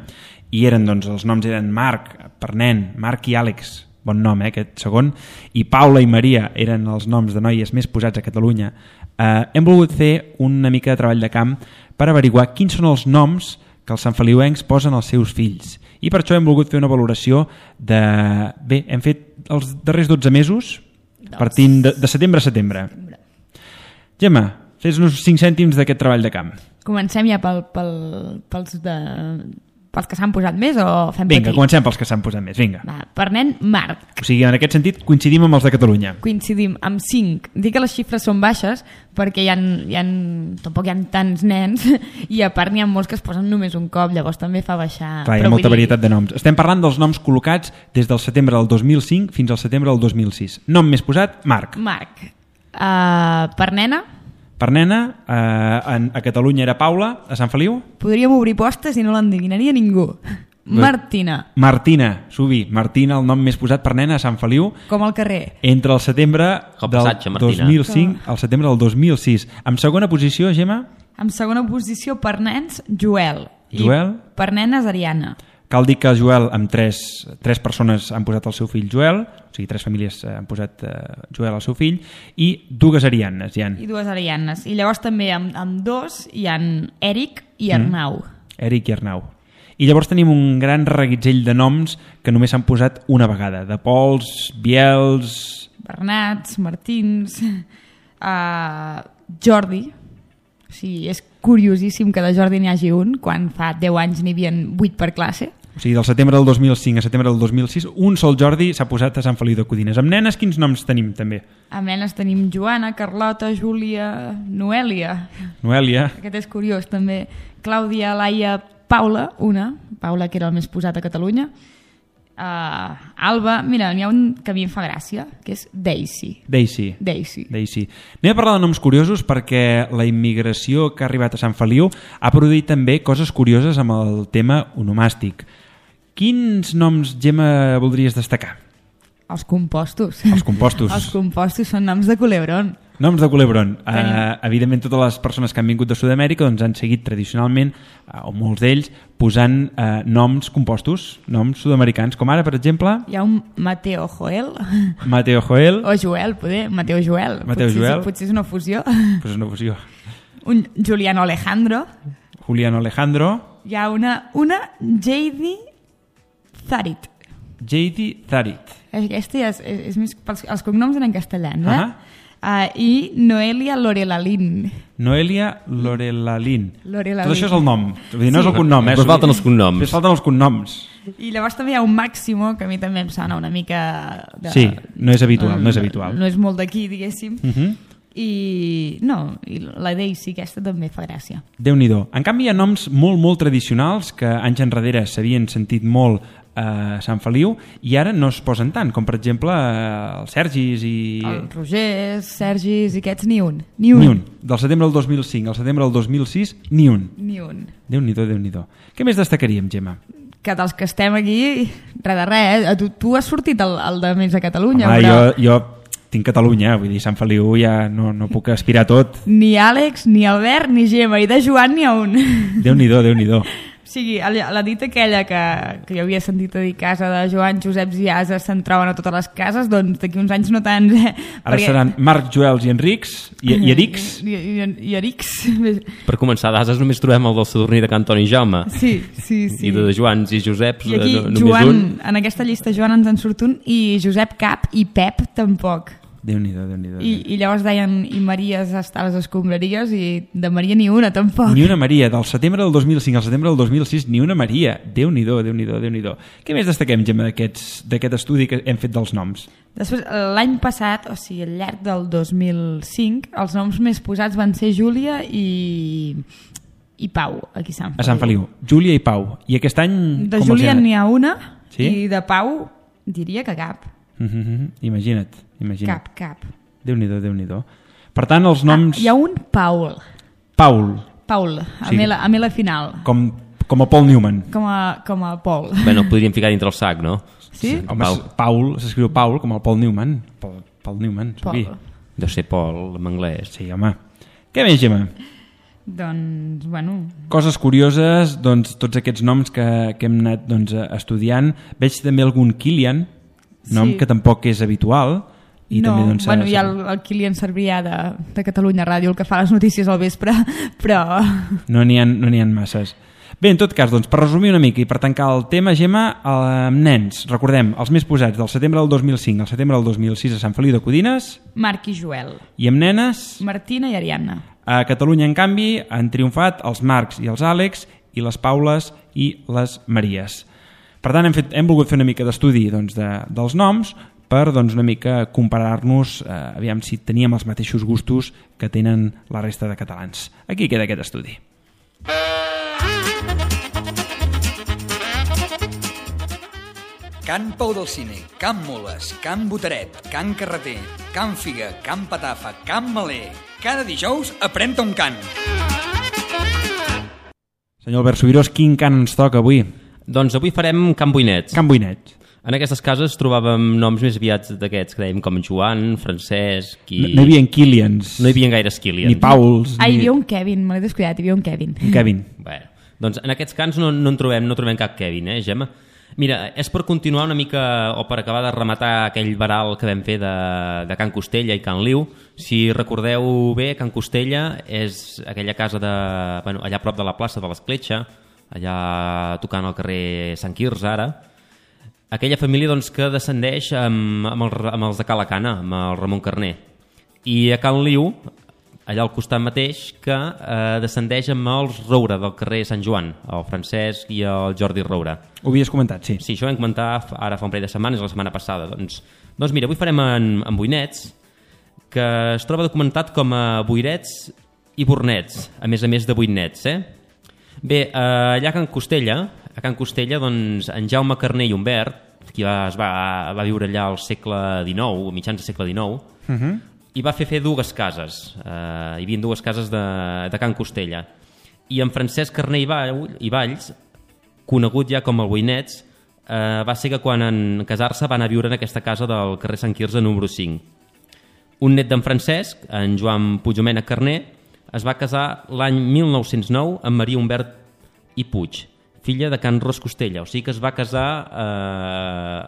i eren, doncs, els noms eren Marc, per nen, Marc i Àlex, bon nom, eh, aquest segon, i Paula i Maria eren els noms de noies més posats a Catalunya. Eh, hem volgut fer una mica de treball de camp per averiguar quins són els noms que els santfeliuencs posen als seus fills. I per això hem volgut fer una valoració de... Bé, hem fet els darrers dotze mesos, partint de, de setembre a setembre. Gemma, fes uns cinc cèntims d'aquest treball de camp. Comencem ja pel, pel, pels de... pels que s'han posat més o fem Vinga, petit? comencem pels que s'han posat més, vinga. Va, per nen, Marc. O sigui, en aquest sentit, coincidim amb els de Catalunya. Coincidim amb cinc. Dic que les xifres són baixes perquè hi ha, hi ha, tampoc hi ha tants nens i a part n'hi ha molts que es posen només un cop, llavors també fa baixar. Clar, hi ha molta varietat de noms. Estem parlant dels noms col·locats des del setembre del dos mil cinc fins al setembre del dos mil sis. Nom més posat, Marc. Marc. Uh, per nena? Per nena, eh, en, a Catalunya era Paula, a Sant Feliu? Podríem obrir postes i no l'endevinaria ningú. Martina. Martina, Subi. Martina, el nom més posat per nena a Sant Feliu. Com al carrer. Entre el setembre Com del passatge, dos mil cinc al setembre del dos mil sis. En segona posició, Gemma? En segona posició per nens, Joel. Joel. I per nenes, Ariana. Cal dir que Joel, amb tres, tres persones han posat el seu fill Joel, o sigui, tres famílies han posat eh, Joel al seu fill, i dues Arianes hi ha. I dues Arianes. I llavors també amb, amb dos hi ha Eric i Arnau. Mm. Eric i Arnau. I llavors tenim un gran reguitzell de noms que només s'han posat una vegada. De Pols, Biels... Bernats, Martins... Uh, Jordi. O sigui, és curiosíssim que de Jordi n'hi hagi un, quan fa deu anys n'hi havia vuit per classe. O sigui, del setembre del dos mil cinc a setembre del dos mil sis, un sol Jordi s'ha posat a Sant Feliu de Codines. Amb nenes, quins noms tenim, també? Amb nenes tenim Joana, Carlota, Júlia, Noèlia. Noèlia. Aquest és curiós, també. Clàudia, Laia, Paula, una. Paula, que era el més posat a Catalunya. Uh, Alba, mira, n'hi ha un que a mi em fa gràcia, que és Daisy. Daisy. Daisy. Daisy. Anem a parlar de noms curiosos perquè la immigració que ha arribat a Sant Feliu ha produït també coses curioses amb el tema onomàstic. Quins noms, Gemma, voldries destacar? Els compostos. Els compostos. Els compostos són noms de culebron. Noms de culebron. Uh, evidentment, totes les persones que han vingut de Sud-amèrica doncs, han seguit tradicionalment, uh, o molts d'ells, posant uh, noms compostos, noms sud-americans, com ara, per exemple... Hi ha un Mateo Joel. Mateo Joel. O Joel, poder. Mateo Joel. Mateo potser, Joel. Potser és una fusió. Pues és una fusió. Un Juliano Alejandro. Juliano Alejandro. Hi ha una, una J D Zarit. J D Zarit. Aquesta és, és, és més... Els, els cognoms eren castellans, eh? Uh -huh. Uh, I Noelia Lorelalin. Noelia Lorelalin. Lorelalin. Tot això és el nom. Vull dir, no és el cognom, eh? Però falten els cognoms. Però falten els cognoms. I llavors també hi ha un Máximo, que a mi també em sona una mica... De, sí, no és habitual, no és habitual. No és molt d'aquí, diguéssim. Uh -huh. I no, i la Daisy aquesta també fa gràcia. Déu-n'hi-do. En canvi hi ha noms molt, molt tradicionals que anys enrere s'havien sentit molt a Sant Feliu i ara no es posen tant, com per exemple els Sergis i... Els Rogers, Sergis i aquests, ni un. Ni un. Ni un. Del setembre del dos mil cinc al setembre del dos mil sis, ni un. Ni un. Déu-n'hi-do, Déu-n'hi-do. Què més destacaríem, Gemma? Que dels que estem aquí, res de res, eh? Tu, tu has sortit al, al de Més a Catalunya, Home, però... jo, jo tinc Catalunya, vull dir, Sant Feliu ja no, no puc aspirar a tot. Ni Àlex, ni Albert, ni Gemma, i de Joan n'hi ha un. Déu-n'hi-do, Déu-n'hi-do. O sigui, la dita aquella que, que jo havia sentit a dir casa de Joan, Joseps i Ases se'n troben a totes les cases, doncs d'aquí uns anys no tants, eh? Ara perquè... seran Marc, Joels i Enrics, i, i Erics. I, i, i Erics. Per començar, d'Ases només trobem el del Sadurní de Can Toni Jaume. Sí, sí, sí. I de Joans i Joseps, I aquí, no, només Joan, un. en aquesta llista Joan ens en surt un, i Josep cap i Pep tampoc. Déu-n'hi-do, Déu-n'hi-do. I, I llavors deien, i Maries està a les escombraries, i de Maria ni una tampoc. Ni una Maria, del setembre del dos mil cinc al setembre del dos mil sis, ni una Maria. Déu-n'hi-do, Déu-n'hi-do, Déu-n'hi-do. Què més destaquem, Gemma, d'aquest estudi que hem fet dels noms? Després, l'any passat, o sigui, al llarg del dos mil cinc, els noms més posats van ser Júlia i... i Pau, aquí a Sant Feliu. A Sant Feliu. Júlia i Pau. I aquest any... De Júlia n'hi ha una, sí? I de Pau diria que cap. Mm-hmm. Imagina't, imagina't. Cap, cap. Déu-n'hi-do, Déu-n'hi-do. Per tant, els noms... Ah, hi ha un Paul. Paul. Paul, amb sí. la, amb la final. Com, com a Paul Newman. Com a, com a Paul. Bé, no el podríem ficar dintre el sac, no? Sí? sí. Home, Paul, Paul s'escriu Paul com el Paul Newman. Paul, Paul Newman, Paul. Deu ser Paul, en anglès. Sí, home. Què més, Gemma? Doncs, bueno... Coses curioses, doncs, tots aquests noms que, que hem anat doncs, estudiant. Veig també algun Kilian, nom sí. que tampoc és habitual. I no, també, doncs, bueno, hi ha el, el Kilian Cervià de, de Catalunya Ràdio, el que fa les notícies al vespre, però... No n'hi ha, no n'hi ha masses. Bé, en tot cas, doncs, per resumir una mica i per tancar el tema, Gemma, amb nens, recordem, els més posats del setembre del dos mil cinc al setembre del dos mil sis a Sant Feliu de Codines. Marc i Joel. I amb nenes... Martina i Ariadna. A Catalunya, en canvi, han triomfat els Marcs i els Àlex i les Paules i les Maries. Per tant, hem, fet, hem volgut fer una mica d'estudi doncs, de, dels noms per doncs, una mica comparar-nos, eh, aviam si teníem els mateixos gustos que tenen la resta de catalans. Aquí queda aquest estudi. Can Pau del Cine, Can Moles, Can Boteret, Can Carreter, Can Figa, Can Patafa, Can Maler. Cada dijous aprèn-te un cant. Senyor Albert Subirós, quin cant ens toca avui? Doncs avui farem Can Boinets. Can Boinets. En aquestes cases trobàvem noms més aviats d'aquests, que dèiem com Joan, Francesc... I... No, no hi havia Kilians. No hi havia gaires Kilians. Ni Pauls. Ah, ni... hi havia un Kevin, me l'he descuidat, hi havia un Kevin. Un Kevin. Bé, doncs en aquests cants no, no en trobem, no trobem cap Kevin, eh, Gemma? Mira, és per continuar una mica, o per acabar de rematar aquell varal que vam fer de, de Can Costella i Can Liu. Si recordeu bé, Can Costella és aquella casa de, bueno, allà a prop de la plaça de l'Escletxa, allà tocant al carrer Sant Quirze ara. Aquella família doncs, que descendeix amb, amb, el, amb els de Calacana, amb el Ramon Carner. I a Can Liu, allà al costat mateix, que eh, descendeix amb els Roura del carrer Sant Joan, el Francesc i el Jordi Roura. Ho havies comentat, sí. Sí, això ho vam comentar ara fa un parell de setmanes, la setmana passada. Doncs, doncs mira, avui farem en, en Boinets, que es troba documentat com a Boirets i Bornets, a més a més de Boinets, eh? Bé, eh, allà a Can Costella, a Can Costella, doncs, en Jaume Carner i Humbert, qui va, es va, va viure allà al segle dinou, a mitjans del segle dinou, uh -huh. i va fer fer dues cases. Eh, hi havia dues cases de, de Can Costella. I en Francesc Carner i, Vall, i Valls, conegut ja com el Boinets, eh, va ser que quan en casar-se va anar a viure en aquesta casa del carrer Sant Quirze número cinc. Un net d'en Francesc, en Joan Puigdomènec Carner, es va casar l'any mil nou-cents nou amb Maria Humbert i Puig, filla de Can Ros Costella. O sigui que es va casar eh,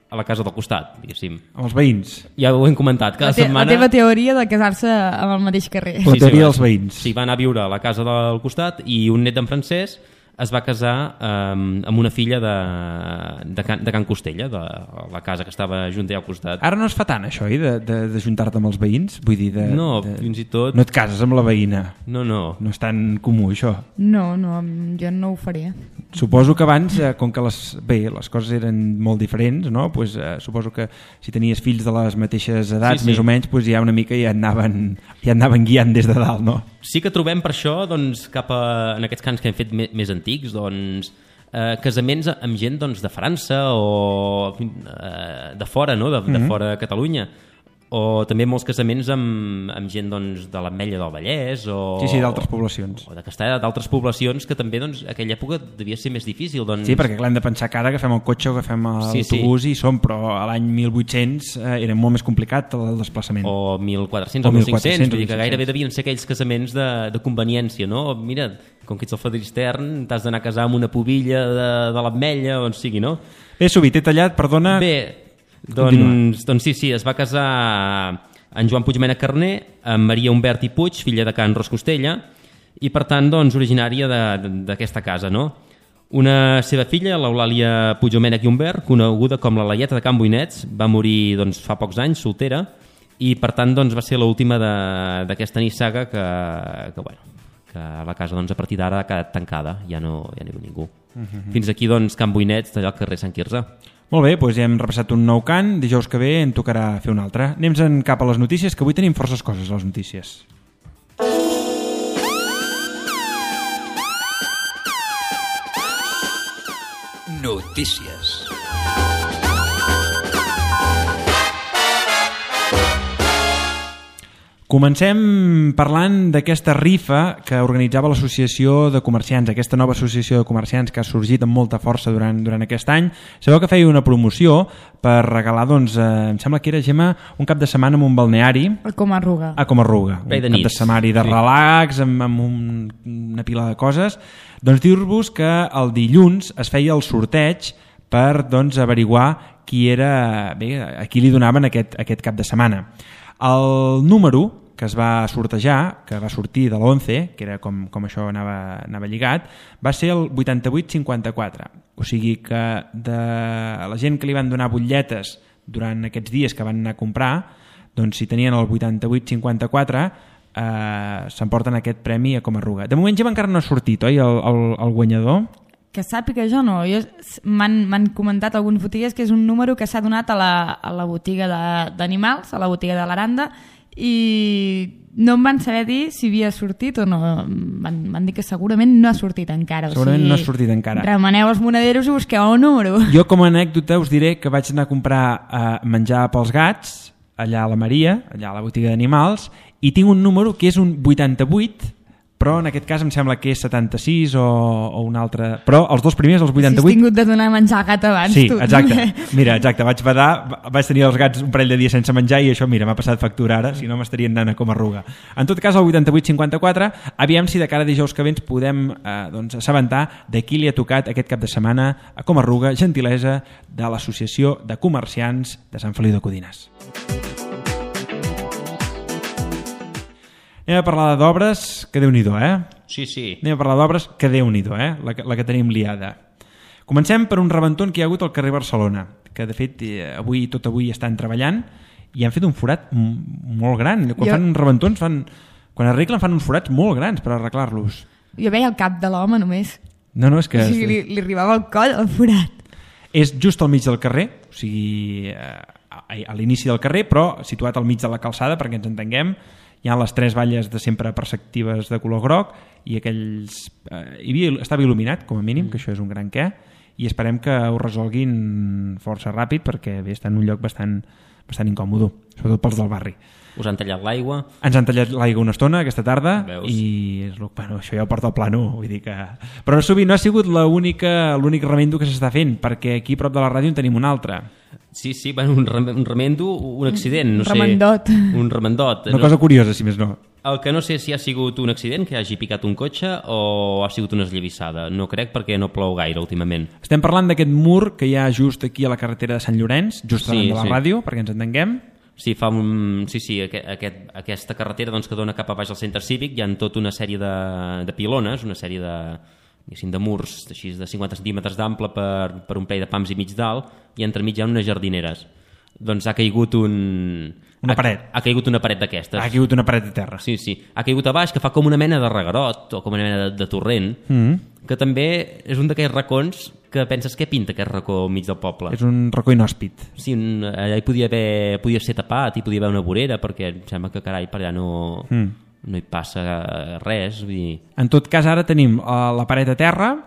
a la casa del costat, diguéssim. Amb els veïns. Ja ho hem comentat. Cada la, te setmana... la teva teoria de casar-se amb el mateix carrer. La teoria sí, sí, dels veïns. Sí, va anar a viure a la casa del costat i un net d'en Francesc es va casar eh, amb una filla de, de, Can, de Can Costella, de la casa que estava junt allà al costat. Ara no es fa tant, això, eh, de, de, de juntar-te amb els veïns? Vull dir, de, no, de... fins i tot... No et cases amb la veïna? No, no. No és tan comú, això? No, no, jo no ho faria. Suposo que abans, eh, com que les, bé, les coses eren molt diferents, no? Pues, eh, suposo que si tenies fills de les mateixes edats, sí, sí. més o menys, pues ja una mica ja anaven, ja anaven guiant des de dalt, no? Sí que trobem per això, doncs, cap a, en aquests cants que hem fet més, més antics, doncs, eh, casaments amb gent doncs, de França o eh, de fora, no? de, de mm-hmm. fora de Catalunya. O també molts casaments amb, amb gent doncs, de l'Ametlla del Vallès o, sí, sí, d'altres poblacions o de Castella, d'altres poblacions que també doncs, a aquella època devia ser més difícil doncs... Sí, perquè clar, hem de pensar que ara agafem el cotxe o agafem l'autobús sí, sí. i som, però a l'any mil vuit-cents eh, era molt més complicat el desplaçament o mil quatre-cents o, o mil cinc-cents, vull dir que gairebé devien ser aquells casaments de, de conveniència, no? Mira, com que ets el fadrí extern t'has d'anar a casar amb una pubilla de, de l'Ametlla on sigui, no? Bé, Subi, t'he tallat, perdona. Bé, Doncs, doncs sí, sí, es va casar en Joan Puigdomènec Carner amb Maria Humbert i Puig, filla de Can Ros Costella, i per tant doncs, originària d'aquesta casa, no? Una seva filla, l'Eulàlia Puigdomènec i Humbert, coneguda com la Laieta de Can Boinets, va morir doncs, fa pocs anys, soltera, i per tant doncs, va ser l'última d'aquesta nissaga que, que, bueno, que la casa doncs, a partir d'ara ha quedat tancada, ja no, ja no hi ha ningú. Uh-huh. Fins aquí doncs, Can Boinets, d'allà al carrer Sant Quirze. Molt bé, doncs ja hem repassat un nou cant, dijous que ve en tocarà fer un altre. Anem cap a les notícies, que avui tenim forces coses a les notícies. Notícies. Comencem parlant d'aquesta rifa que organitzava l'Associació de Comerciants, aquesta nova associació de comerciants que ha sorgit amb molta força durant, durant aquest any. Sabeu que feia una promoció per regalar, doncs, eh, em sembla que era, Gemma, un cap de setmana en un balneari. A Comarruga. A Comarruga. Un cap de setmana de relax, amb, amb un, una pila de coses. Doncs dir-vos que el dilluns es feia el sorteig per doncs, averiguar qui era, bé, a qui li donaven aquest, aquest cap de setmana. El número que es va sortejar, que va sortir de l'onze, que era com, com això anava, anava lligat, va ser el vuitanta-vuit cinquanta-quatre. O sigui que de la gent que li van donar butlletes durant aquests dies que van anar a comprar, doncs si tenien el vuitanta-vuit cinquanta-quatre, eh, s'emporten aquest premi a Comarruga. De moment ja encara no ha sortit, oi, el, el, el guanyador? Que sàpiga jo no. Jo, m'han comentat alguns botiguers que és un número que s'ha donat a la, a la botiga d'animals, a la botiga de l'Aranda, i no em van saber dir si havia sortit o no. Van, van dir que segurament no ha sortit encara. Segurament o sigui, no ha sortit encara. Remeneu els monederos i busqueu el número. Jo, com a anècdota, us diré que vaig anar a comprar eh, menjar pels gats allà a la Maria, allà a la botiga d'animals, i tinc un número que és un vuitanta-vuit, però en aquest cas em sembla que és setanta-sis o, o un altre... Però els dos primers, els vuitanta-vuit... Si has tingut de donar menjar al gat abans, sí, tu. Sí, exacte. Mira, exacte, vaig badar, vaig tenir els gats un parell de dies sense menjar i això, mira, m'ha passat factura ara, si no m'estarien anant a Comarruga. En tot cas, el vuitanta-vuit cinquanta-quatre, aviam si de cara a dijous que ve ens podem eh, doncs, assabentar de qui li ha tocat aquest cap de setmana a Comarruga, gentilesa de l'Associació de Comerciants de Sant Feliu de Codines. Anem a parlar d'obres, que Déu-n'hi-do, eh? Sí, sí. Anem a parlar d'obres, que Déu-n'hi-do, eh? La, la que tenim liada. Comencem per un rebentón que hi ha hagut al carrer Barcelona, que de fet avui tot avui estan treballant i han fet un forat molt gran. Quan jo... fan uns rebentons, fan... quan arreglen fan uns forats molt grans per arreglar-los. Jo veia el cap de l'home només. No, no, és que... O sigui, li, li arribava al coll el forat. És just al mig del carrer, o sigui, a, a l'inici del carrer, però situat al mig de la calçada, perquè ens entenguem. Hi ha les tres valles de sempre perceptives de color groc i aquells... Eh, hi havia, estava il·luminat, com a mínim, mm. que això és un gran què, i esperem que ho resolguin força ràpid perquè bé, està en un lloc bastant, bastant incòmode, sobretot pels del barri. Us han tallat l'aigua? Ens han tallat l'aigua una estona aquesta tarda. Veus? I és, bueno, això ja ho porta al plano, vull dir que... Però no, no ha sigut l'únic remendo que s'està fent, perquè aquí a prop de la ràdio en tenim un altre. Sí, sí, bueno, un, rem un remendo, un accident, no sé. Remendot. Un remendot. Una no, cosa curiosa, si més no. El que no sé si ha sigut un accident, que hagi picat un cotxe, o ha sigut una esllavissada. No crec perquè no plou gaire últimament. Estem parlant d'aquest mur que hi ha just aquí a la carretera de Sant Llorenç, just sí, davant de la sí. ràdio, perquè ens entenguem. Sí, fa un... sí, sí aquest, aquest, aquesta carretera doncs, que dona cap a baix al centre cívic, hi ha tota una sèrie de, de pilones, una sèrie de, de murs així, de cinquanta centímetres d'ample per, per un parell de pams i mig dalt, i entremig hi ha unes jardineres. Doncs ha caigut un... Una paret. Ha, ha caigut una paret d'aquestes. Ha caigut una paret de terra. Sí, sí. Ha caigut a baix, que fa com una mena de reguerot, o com una mena de, de torrent, mm. que també és un d'aquells racons que penses què pinta aquest racó al mig del poble. És un racó inhòspit. Sí, un, allà hi podia, haver, podia ser tapat, hi podia haver una vorera, perquè em sembla que carai per allà no, mm. no hi passa res. Vull dir... En tot cas, ara tenim uh, la paret a terra,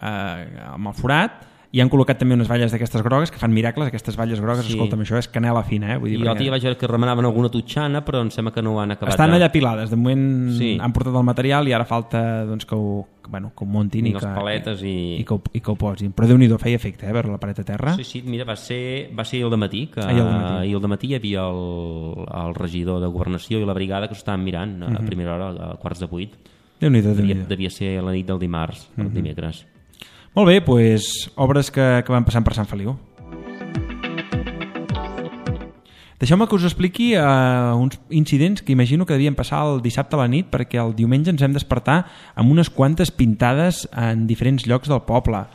uh, amb el forat, i han col·locat també unes valles d'aquestes grogues que fan miracles, aquestes valles grogues, sí. Escolta'm, això és canela fina, eh? Vull dir, I jo perquè... vaig veure que remenaven alguna tutxana, però em sembla que no ho han acabat. Estan de... allà pilades, de moment sí. Han portat el material i ara falta doncs, que, ho, bueno, que ho muntin i, i, que, paletes i... i, que ho, i que ho posin. Però Déu-n'hi-do, feia efecte, eh, veure la paret a terra. Sí, sí, mira, va ser, va ser el dematí, que ahir al dematí. ahir al dematí hi havia el, el regidor de Governació i la brigada que s'ho estaven mirant a uh-huh. primera hora, a quarts de vuit. Déu-n'hi-do, devia, Déu-n'hi-do. devia ser la nit del dimarts, el uh-huh. dimecres. Molt bé, doncs, obres que, que van passant per Sant Feliu. Deixeu-me que us expliqui uh, uns incidents que imagino que devien passar el dissabte a la nit, perquè el diumenge ens hem despertar amb unes quantes pintades en diferents llocs del poble.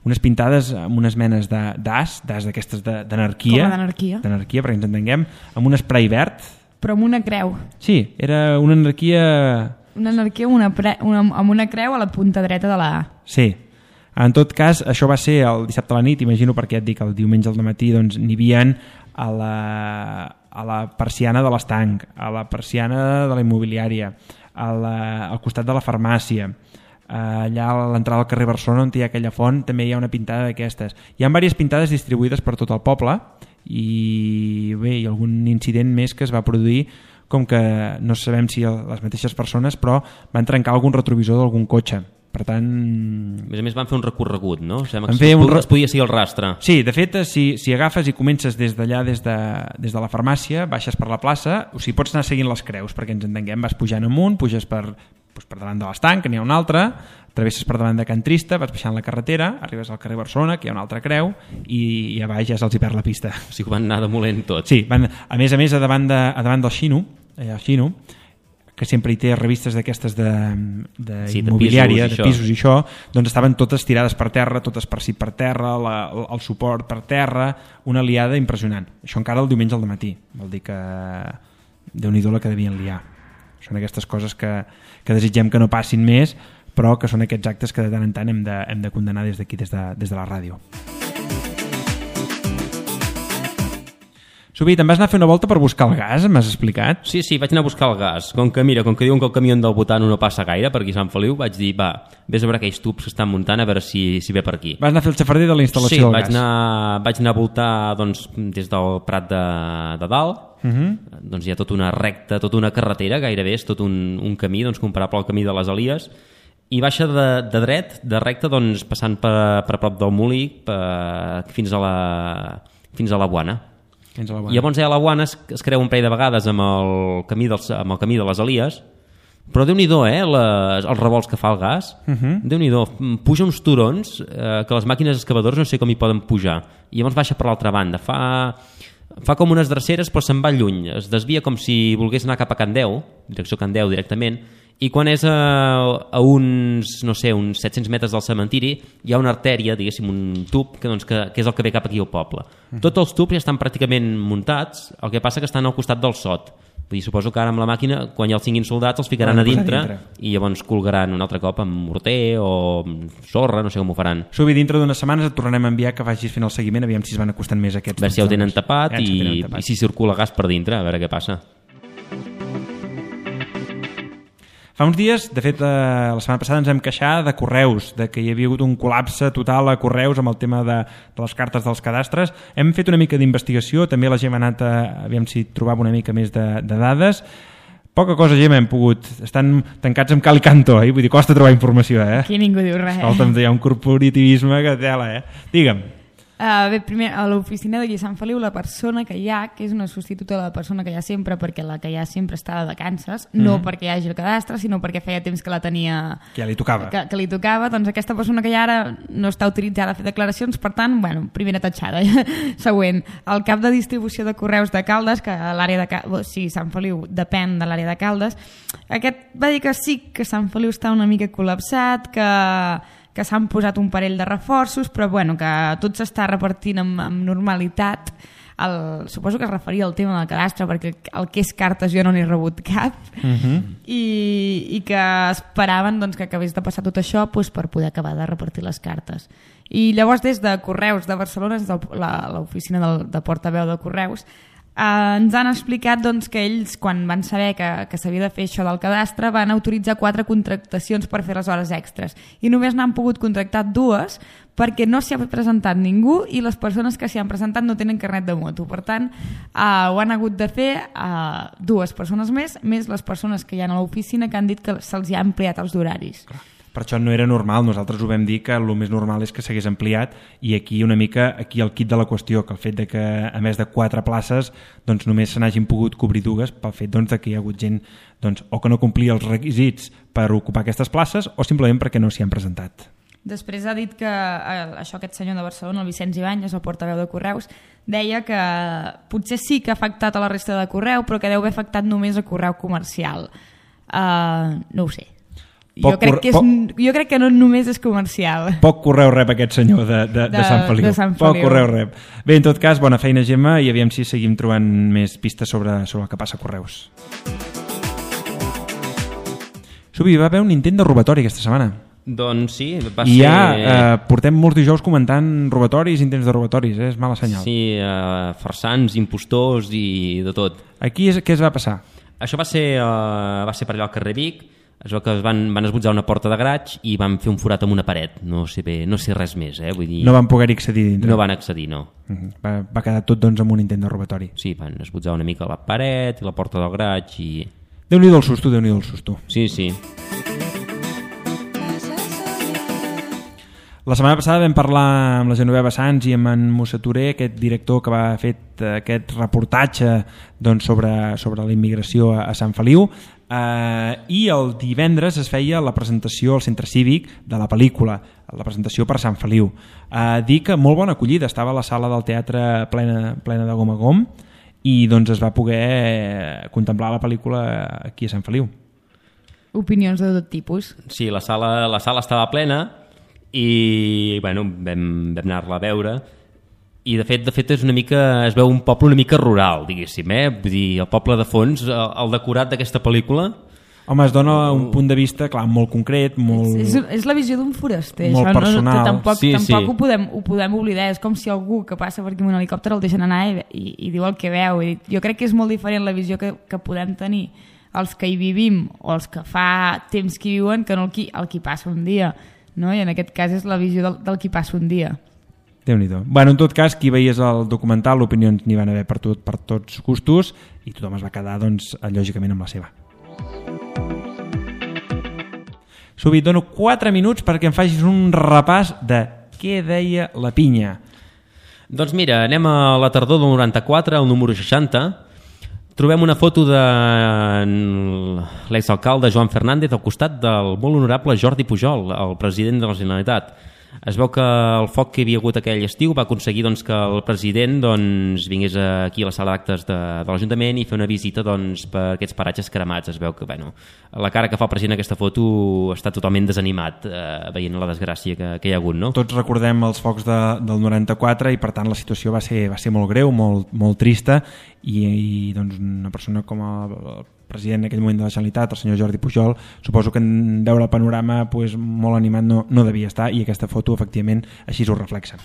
Unes pintades amb unes menes d'as, d'as d'aquestes d'anarquia. Com d'anarquia? D'anarquia, perquè ens entenguem, amb un spray verd. Però amb una creu. Sí, era una anarquia... Una anarquia amb una, pre... una, amb una creu a la punta dreta de la A. Sí. En tot cas, això va ser el dissabte a la nit, imagino, perquè et dic, el diumenge al matí doncs, n'hi havia a la, a la persiana de l'estanc, a la persiana de la immobiliària, a la, al costat de la farmàcia, allà a l'entrada al carrer Barcelona on hi ha aquella font també hi ha una pintada d'aquestes. Hi ha diverses pintades distribuïdes per tot el poble i bé, hi ha algun incident més que es va produir, com que no sabem si les mateixes persones, però van trencar algun retrovisor d'algun cotxe. Per tant... A més a més van fer un recorregut, no? Sembla que es, un... es podia seguir el rastre. Sí, de fet, si, si agafes i comences des d'allà, des, de, des de la farmàcia, baixes per la plaça, o sigui, pots anar seguint les creus, perquè ens entenguem, vas pujant amunt, puges per, doncs per davant de l'estanc, que n'hi ha una altra, travesses per davant de Can Trista, vas baixant la carretera, arribes al carrer Barcelona, que hi ha una altra creu, i, i a baix ja se'ls hi perd la pista. O sigui, van anar demolent tot. Sí, van, a més a més, a davant, de, a davant del Xino, allà al Xino, que sempre hi té revistes d'aquestes de, de sí, immobiliària, de pisos, de pisos i això, doncs estaven totes tirades per terra, totes per si per terra, la, el suport per terra, una liada impressionant. Això encara el diumenge al dematí, vol dir que Déu-n'hi-do la que devien liar. són aquestes coses que, que desitgem que no passin més, però que són aquests actes que de tant en tant hem de, hem de condenar des d'aquí, des de, des de la ràdio. Subi, te'n vas anar a fer una volta per buscar el gas, m'has explicat? Sí, sí, vaig anar a buscar el gas. Com que, mira, com que diuen que el camió del Botano no passa gaire per aquí a Sant Feliu, vaig dir, va, vés a veure aquells tubs que estan muntant a veure si, si ve per aquí. Vas anar a fer el xafarder de la instal·lació sí, del vaig gas? Sí, anar, vaig anar a voltar doncs, des del Prat de, de Dalt. Uh -huh. Doncs hi ha tota una recta, tota una carretera, gairebé és tot un, un camí doncs, comparable al camí de les Elies, i baixa de, de dret, de recte, doncs, passant per, per prop del Molí per, fins a la, fins a la Buana. I llavors ja a la Buana es, es creu un parell de vegades amb el camí, dels, amb el camí de les Elies, però Déu-n'hi-do, eh, les, els revolts que fa el gas, uh -huh. Déu-n'hi-do, puja uns turons eh, que les màquines excavadores no sé com hi poden pujar, i llavors baixa per l'altra banda, fa, fa com unes dreceres però se'n va lluny, es desvia com si volgués anar cap a Can Deu, direcció Can Deu directament, i quan és a, a uns, no sé, uns set-cents metres del cementiri hi ha una artèria, diguéssim, un tub que, doncs, que, que és el que ve cap aquí al poble. Uh-huh. Tots els tubs ja estan pràcticament muntats, el que passa que estan al costat del sot. Vull dir, suposo que ara amb la màquina, quan ja els tinguin soldats, els ficaran a dintre, a dintre i llavors colgaran un altre cop amb morter o amb sorra, no sé com ho faran. Subi, dintre d'unes setmanes et tornarem a enviar que vagis fent el seguiment, aviam si es van acostant més aquests. A veure si ja ho tenen tapat, ja i, tenen tapat i si circula gas per dintre, a veure què passa. Fa uns dies, de fet, eh, la setmana passada ens hem queixat de Correus, de que hi havia hagut un col·lapse total a Correus amb el tema de, de les cartes dels cadastres. Hem fet una mica d'investigació, també la Gemma ha anat a, aviam si trobava una mica més de, de dades. Poca cosa, Gemma, hem pogut. Estan tancats amb cal i canto, eh? Vull dir, costa trobar informació, eh? Aquí ningú diu res. Escolta'm, hi ha un corporativisme que tela, eh? Digue'm. Uh, bé, primer, a l'oficina d'aquí a Sant Feliu, la persona que hi ha, que és una substituta de la persona que hi ha sempre, perquè la que hi ha sempre està de vacances, mm. no perquè hi hagi el cadastre, sinó perquè feia temps que la tenia... Que ja li tocava. Que, que li tocava, doncs aquesta persona que hi ha ara no està autoritzada a fer declaracions, per tant, bueno, primera tatxada. Següent, el cap de distribució de correus de Caldes, que a l'àrea de Caldes, sí, Sant Feliu depèn de l'àrea de Caldes, aquest va dir que sí, que Sant Feliu està una mica col·lapsat, que... que s'han posat un parell de reforços, però bueno, que tot s'està repartint amb, amb normalitat. El, suposo que es referia al tema del cadastre, perquè el que és cartes jo no n'he rebut cap, uh-huh. I, i que esperaven doncs, que acabés de passar tot això doncs, per poder acabar de repartir les cartes. I llavors des de Correus de Barcelona, des de l'oficina de, de portaveu de Correus, Uh, ens han explicat doncs, que ells, quan van saber que, que s'havia de fer això del cadastre, van autoritzar quatre contractacions per fer les hores extres. I només n'han pogut contractar dues perquè no s'hi ha presentat ningú i les persones que s'hi han presentat no tenen carnet de moto. Per tant, uh, ho han hagut de fer uh, dues persones més, més les persones que hi ha a l'oficina que han dit que se'ls ha ampliat els horaris. Per això no era normal, nosaltres ho vam dir que el més normal és que s'hagués ampliat i aquí una mica aquí el kit de la qüestió, que el fet de que a més de quatre places doncs només se n'hagin pogut cobrir dues pel fet doncs, de que hi ha hagut gent doncs, o que no complia els requisits per ocupar aquestes places o simplement perquè no s'hi han presentat. Després ha dit que eh, això aquest senyor de Barcelona, el Vicenç Ibáñez, el portaveu de Correus, deia que potser sí que ha afectat a la resta de Correu, però que deu haver afectat només a Correu comercial. Uh, no ho sé. Jo crec, que és, jo crec que no només és comercial. Poc correu rep aquest senyor de, de, de, de, Sant Feliu. de Sant Feliu. Poc correu rep. Bé, en tot cas, bona feina, Gemma, i aviam si seguim trobant més pistes sobre, sobre el que passa a Correus. Subi, va haver un intent de robatori aquesta setmana. Doncs sí, va I ser... I ja eh, portem molts dijous comentant robatoris, intents de robatoris, eh? És mala senyal. Sí, eh, farsants, impostors i de tot. Aquí és, què es va passar? Això va ser, eh, va ser per allà al carrer Vic. Es veu que es van, van esbotzar una porta de graig i van fer un forat amb una paret. No sé bé, no sé res més, eh? Vull dir... No van poder accedir dintre? No van accedir, no. Uh-huh. va, va quedar tot doncs amb un intent de robatori. Sí, van esbotzar una mica la paret i la porta del graig i... Déu-n'hi-do el susto, Déu-n'hi-do el susto. Sí, sí. La setmana passada vam parlar amb la Genoveva Sans i amb en Musa Touré, aquest director que va fer aquest reportatge doncs, sobre, sobre la immigració a, a Sant Feliu, eh, i el divendres es feia la presentació al Centre Cívic de la pel·lícula, la presentació per Sant Feliu. Eh, dir que molt bona acollida, estava a la sala del teatre plena, plena de gom a gom i doncs es va poder contemplar la pel·lícula aquí a Sant Feliu. Opinions de tot tipus. Sí, la sala, la sala estava plena i bueno, vam, vam anar-la a veure i de fet, de fet és una mica, es veu un poble una mica rural, diguéssim, eh? Vull dir, el poble de fons, el, el decorat d'aquesta pel·lícula Home, es dona un punt de vista, clar, molt concret, molt... És, és, és la visió d'un foraster, molt això personal. No, tampoc, sí, tampoc sí. Ho, podem, ho podem oblidar, és com si algú que passa per aquí amb un helicòpter el deixen anar i, i, i diu el que veu. I jo crec que és molt diferent la visió que, que podem tenir els que hi vivim o els que fa temps que hi viuen que no el qui, el qui passa un dia, no? I en aquest cas és la visió del, del qui passa un dia. Déu-n'hi-do. Bueno, en tot cas, qui veies el documental, opinions n'hi van haver per, tot, per tots gustos i tothom es va quedar, doncs, lògicament amb la seva. Subi, et dono quatre minuts perquè em facis un repàs de què deia la pinya. Doncs mira, anem a la tardor del noranta-quatre, al número seixanta. Trobem una foto de l'exalcalde Joan Fernández al costat del molt honorable Jordi Pujol, el president de la Generalitat. Es veu que el foc que hi havia hagut aquell estiu va aconseguir doncs, que el president doncs, vingués aquí a la sala d'actes de, de l'Ajuntament i fer una visita doncs, per aquests paratges cremats. Es veu que bueno, la cara que fa el president en aquesta foto està totalment desanimat eh, veient la desgràcia que, que hi ha hagut. No? Tots recordem els focs de, del noranta-quatre i per tant la situació va ser, va ser molt greu, molt, molt trista i, i doncs, una persona com el president en aquell moment de la Generalitat, el senyor Jordi Pujol, suposo que en veure el panorama pues, molt animat no, no devia estar i aquesta foto efectivament així ho reflexa.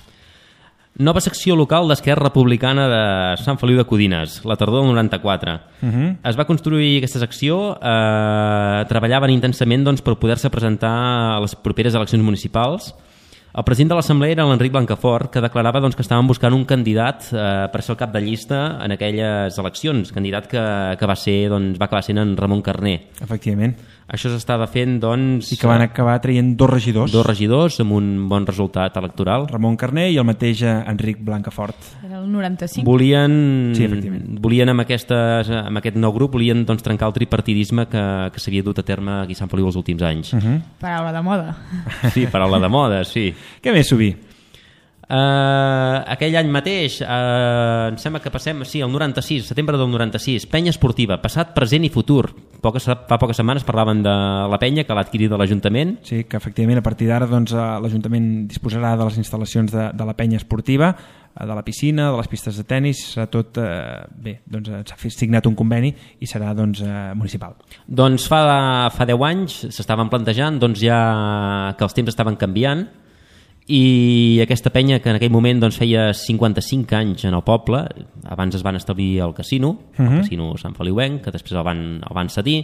Nova secció local d'Esquerra Republicana de Sant Feliu de Codines, la tardor del noranta-quatre. Uh-huh. Es va construir aquesta secció, eh, treballaven intensament doncs, per poder-se presentar a les properes eleccions municipals. El president de l'Assemblea era l'Enric Blancafort, que declarava doncs, que estaven buscant un candidat eh, per ser el cap de llista en aquelles eleccions, candidat que, que va ser, doncs, va acabar sent en Ramon Carner. Efectivament. Això s'estava fent, doncs... I que van acabar traient dos regidors. Dos regidors amb un bon resultat electoral. Ramon Carner i el mateix Enric Blancafort. Era el noranta-cinc. Volien, sí, volien amb, aquestes, amb aquest nou grup, volien doncs, trencar el tripartidisme que, que s'havia dut a terme aquí a Sant Feliu els últims anys. Uh-huh. Paraula de moda. Sí, paraula de moda, sí. Què més, Subí? Uh, aquell any mateix, uh, em sembla que passem, sí, el noranta-sis, setembre del noranta-sis, penya esportiva, passat, present i futur. Poques, fa poques setmanes parlaven de la penya que l'ha adquirit de l'Ajuntament. Sí, que efectivament a partir d'ara doncs, l'Ajuntament disposarà de les instal·lacions de, de la penya esportiva, de la piscina, de les pistes de tennis, serà tot, eh, bé, doncs s'ha signat un conveni i serà doncs, eh, municipal. Doncs fa, fa deu anys s'estaven plantejant doncs, ja que els temps estaven canviant i aquesta penya que en aquell moment doncs, feia cinquanta-cinc anys en el poble, abans es van establir al casino, uh-huh. el casino Sant Feliuenc, que després el van, el van cedir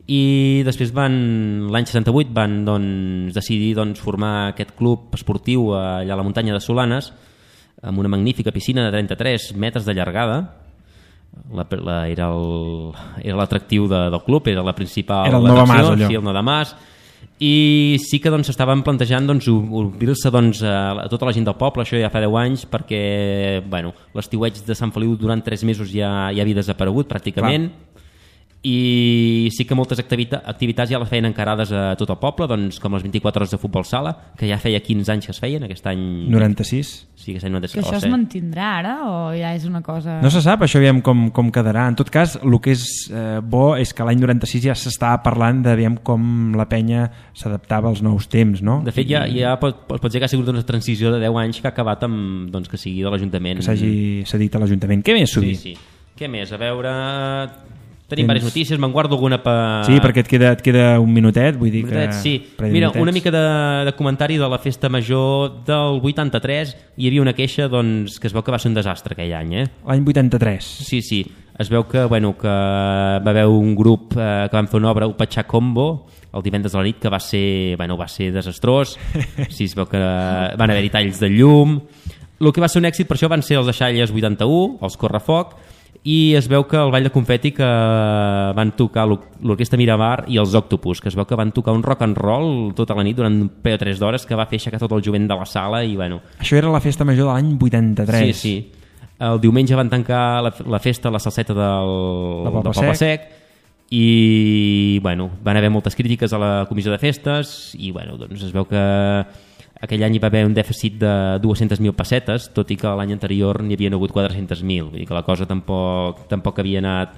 i després van l'any seixanta-vuit van doncs, decidir doncs, formar aquest club esportiu allà a la muntanya de Solanes amb una magnífica piscina de trenta-tres metres de llargada. La, la, era l'atractiu de, del club, era la principal era el Novamàs, allò. Sí, el Novamàs. I sí que doncs, estaven plantejant doncs, obrir-se doncs, a tota la gent del poble, això ja fa deu anys, perquè bueno, l'estiueig de Sant Feliu durant tres mesos ja, ja havia desaparegut pràcticament. Clar. I sí que moltes activita- activitats ja les feien encarades a tot el poble, doncs, com les vint-i-quatre hores de futbol sala, que ja feia quinze anys que es feien, aquest any... noranta-sis. Sí, aquest any noranta-sis. Que això es mantindrà ara o ja és una cosa... No se sap, això aviam com, com quedarà. En tot cas, el que és eh, bo és que l'any noranta-sis ja s'estava parlant d'aviam com la penya s'adaptava als nous temps, no? De fet, ja, ja pot, pot dir que ha sigut una transició de deu anys que ha acabat amb, doncs, que sigui de l'Ajuntament. Que s'hagi cedit a l'Ajuntament. Què més, Subí? Sí, sí. Què més? A veure... Tenim Tens... diverses notícies, me'n guardo alguna per... Sí, perquè et queda, et queda un minutet, vull dir minutet, que... Sí, mira, una mica de, de comentari de la festa major del vuitanta-tres. Hi havia una queixa doncs, que es veu que va ser un desastre aquell any, eh? L'any vuitanta-tres. Sí, sí. Es veu que, bueno, que va haver un grup eh, que van fer una obra, Upachà Combo, el divendres de la nit, que va ser, bueno, va ser desastrós. Sí, es veu que van haver-hi talls de llum. El que va ser un èxit per això van ser els Deixalles vuitanta-u, els Correfoc, i es veu que el ball de confeti que van tocar l'Orquestra Miramar i els Octopus, que es veu que van tocar un rock and roll tota la nit durant un parell o tres d'hores que va fer aixecar tot el jovent de la sala i bueno... Això era la festa major de l'any vuitanta-tres. Sí, sí. El diumenge van tancar la, la festa a la salseta del, del Poble Sec i bueno, van haver moltes crítiques a la comissió de festes i bueno, doncs es veu que aquell any hi va haver un dèficit de dues-centes mil pessetes, tot i que l'any anterior n'hi havia hagut quatre-centes mil, vull dir que la cosa tampoc, tampoc havia anat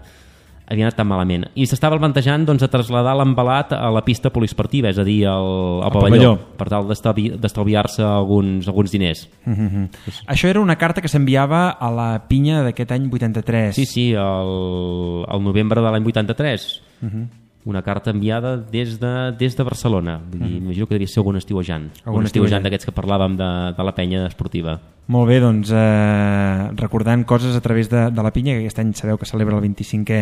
havia anat tan malament. I s'estava plantejant doncs, a traslladar l'embalat a la pista poliesportiva, és a dir, al, al pavelló, pavelló, per tal d'estalviar-se alguns, alguns diners. Mm-hmm. Pues... Això era una carta que s'enviava a la pinya d'aquest any vuitanta-tres. Sí, sí, el, el novembre de l'any vuitanta-tres. Mm-hmm. una carta enviada des de, des de Barcelona. Vull dir, mm. imagino que devia ser algun estiuejant. Algun un estiuejant d'aquests que parlàvem de, de la penya esportiva. Molt bé, doncs eh, recordant coses a través de, de la pinya, que aquest any sabeu que celebra el vint-i-cinquè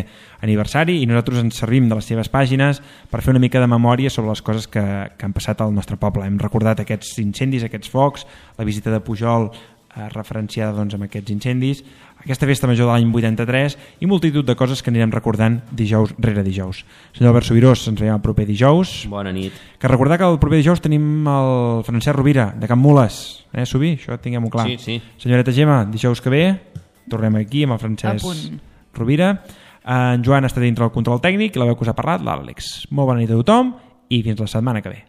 aniversari, i nosaltres ens servim de les seves pàgines per fer una mica de memòria sobre les coses que, que han passat al nostre poble. Hem recordat aquests incendis, aquests focs, la visita de Pujol eh, referenciada doncs, amb aquests incendis, aquesta festa major de l'any vuitanta-tres i multitud de coses que anirem recordant dijous rere dijous. Senyor Albert Subirós, ens veiem el proper dijous. Bona nit. Que recordar que el proper dijous tenim el Francesc Rovira, de Can Mules. Eh, Subir? Això tinguem-ho clar. Sí, sí. Senyoreta Gemma, dijous que ve tornem aquí amb el Francesc Rovira. En Joan està dintre del control tècnic i la veu que us ha parlat, l'Àlex. Molt bona nit a tothom i fins la setmana que ve.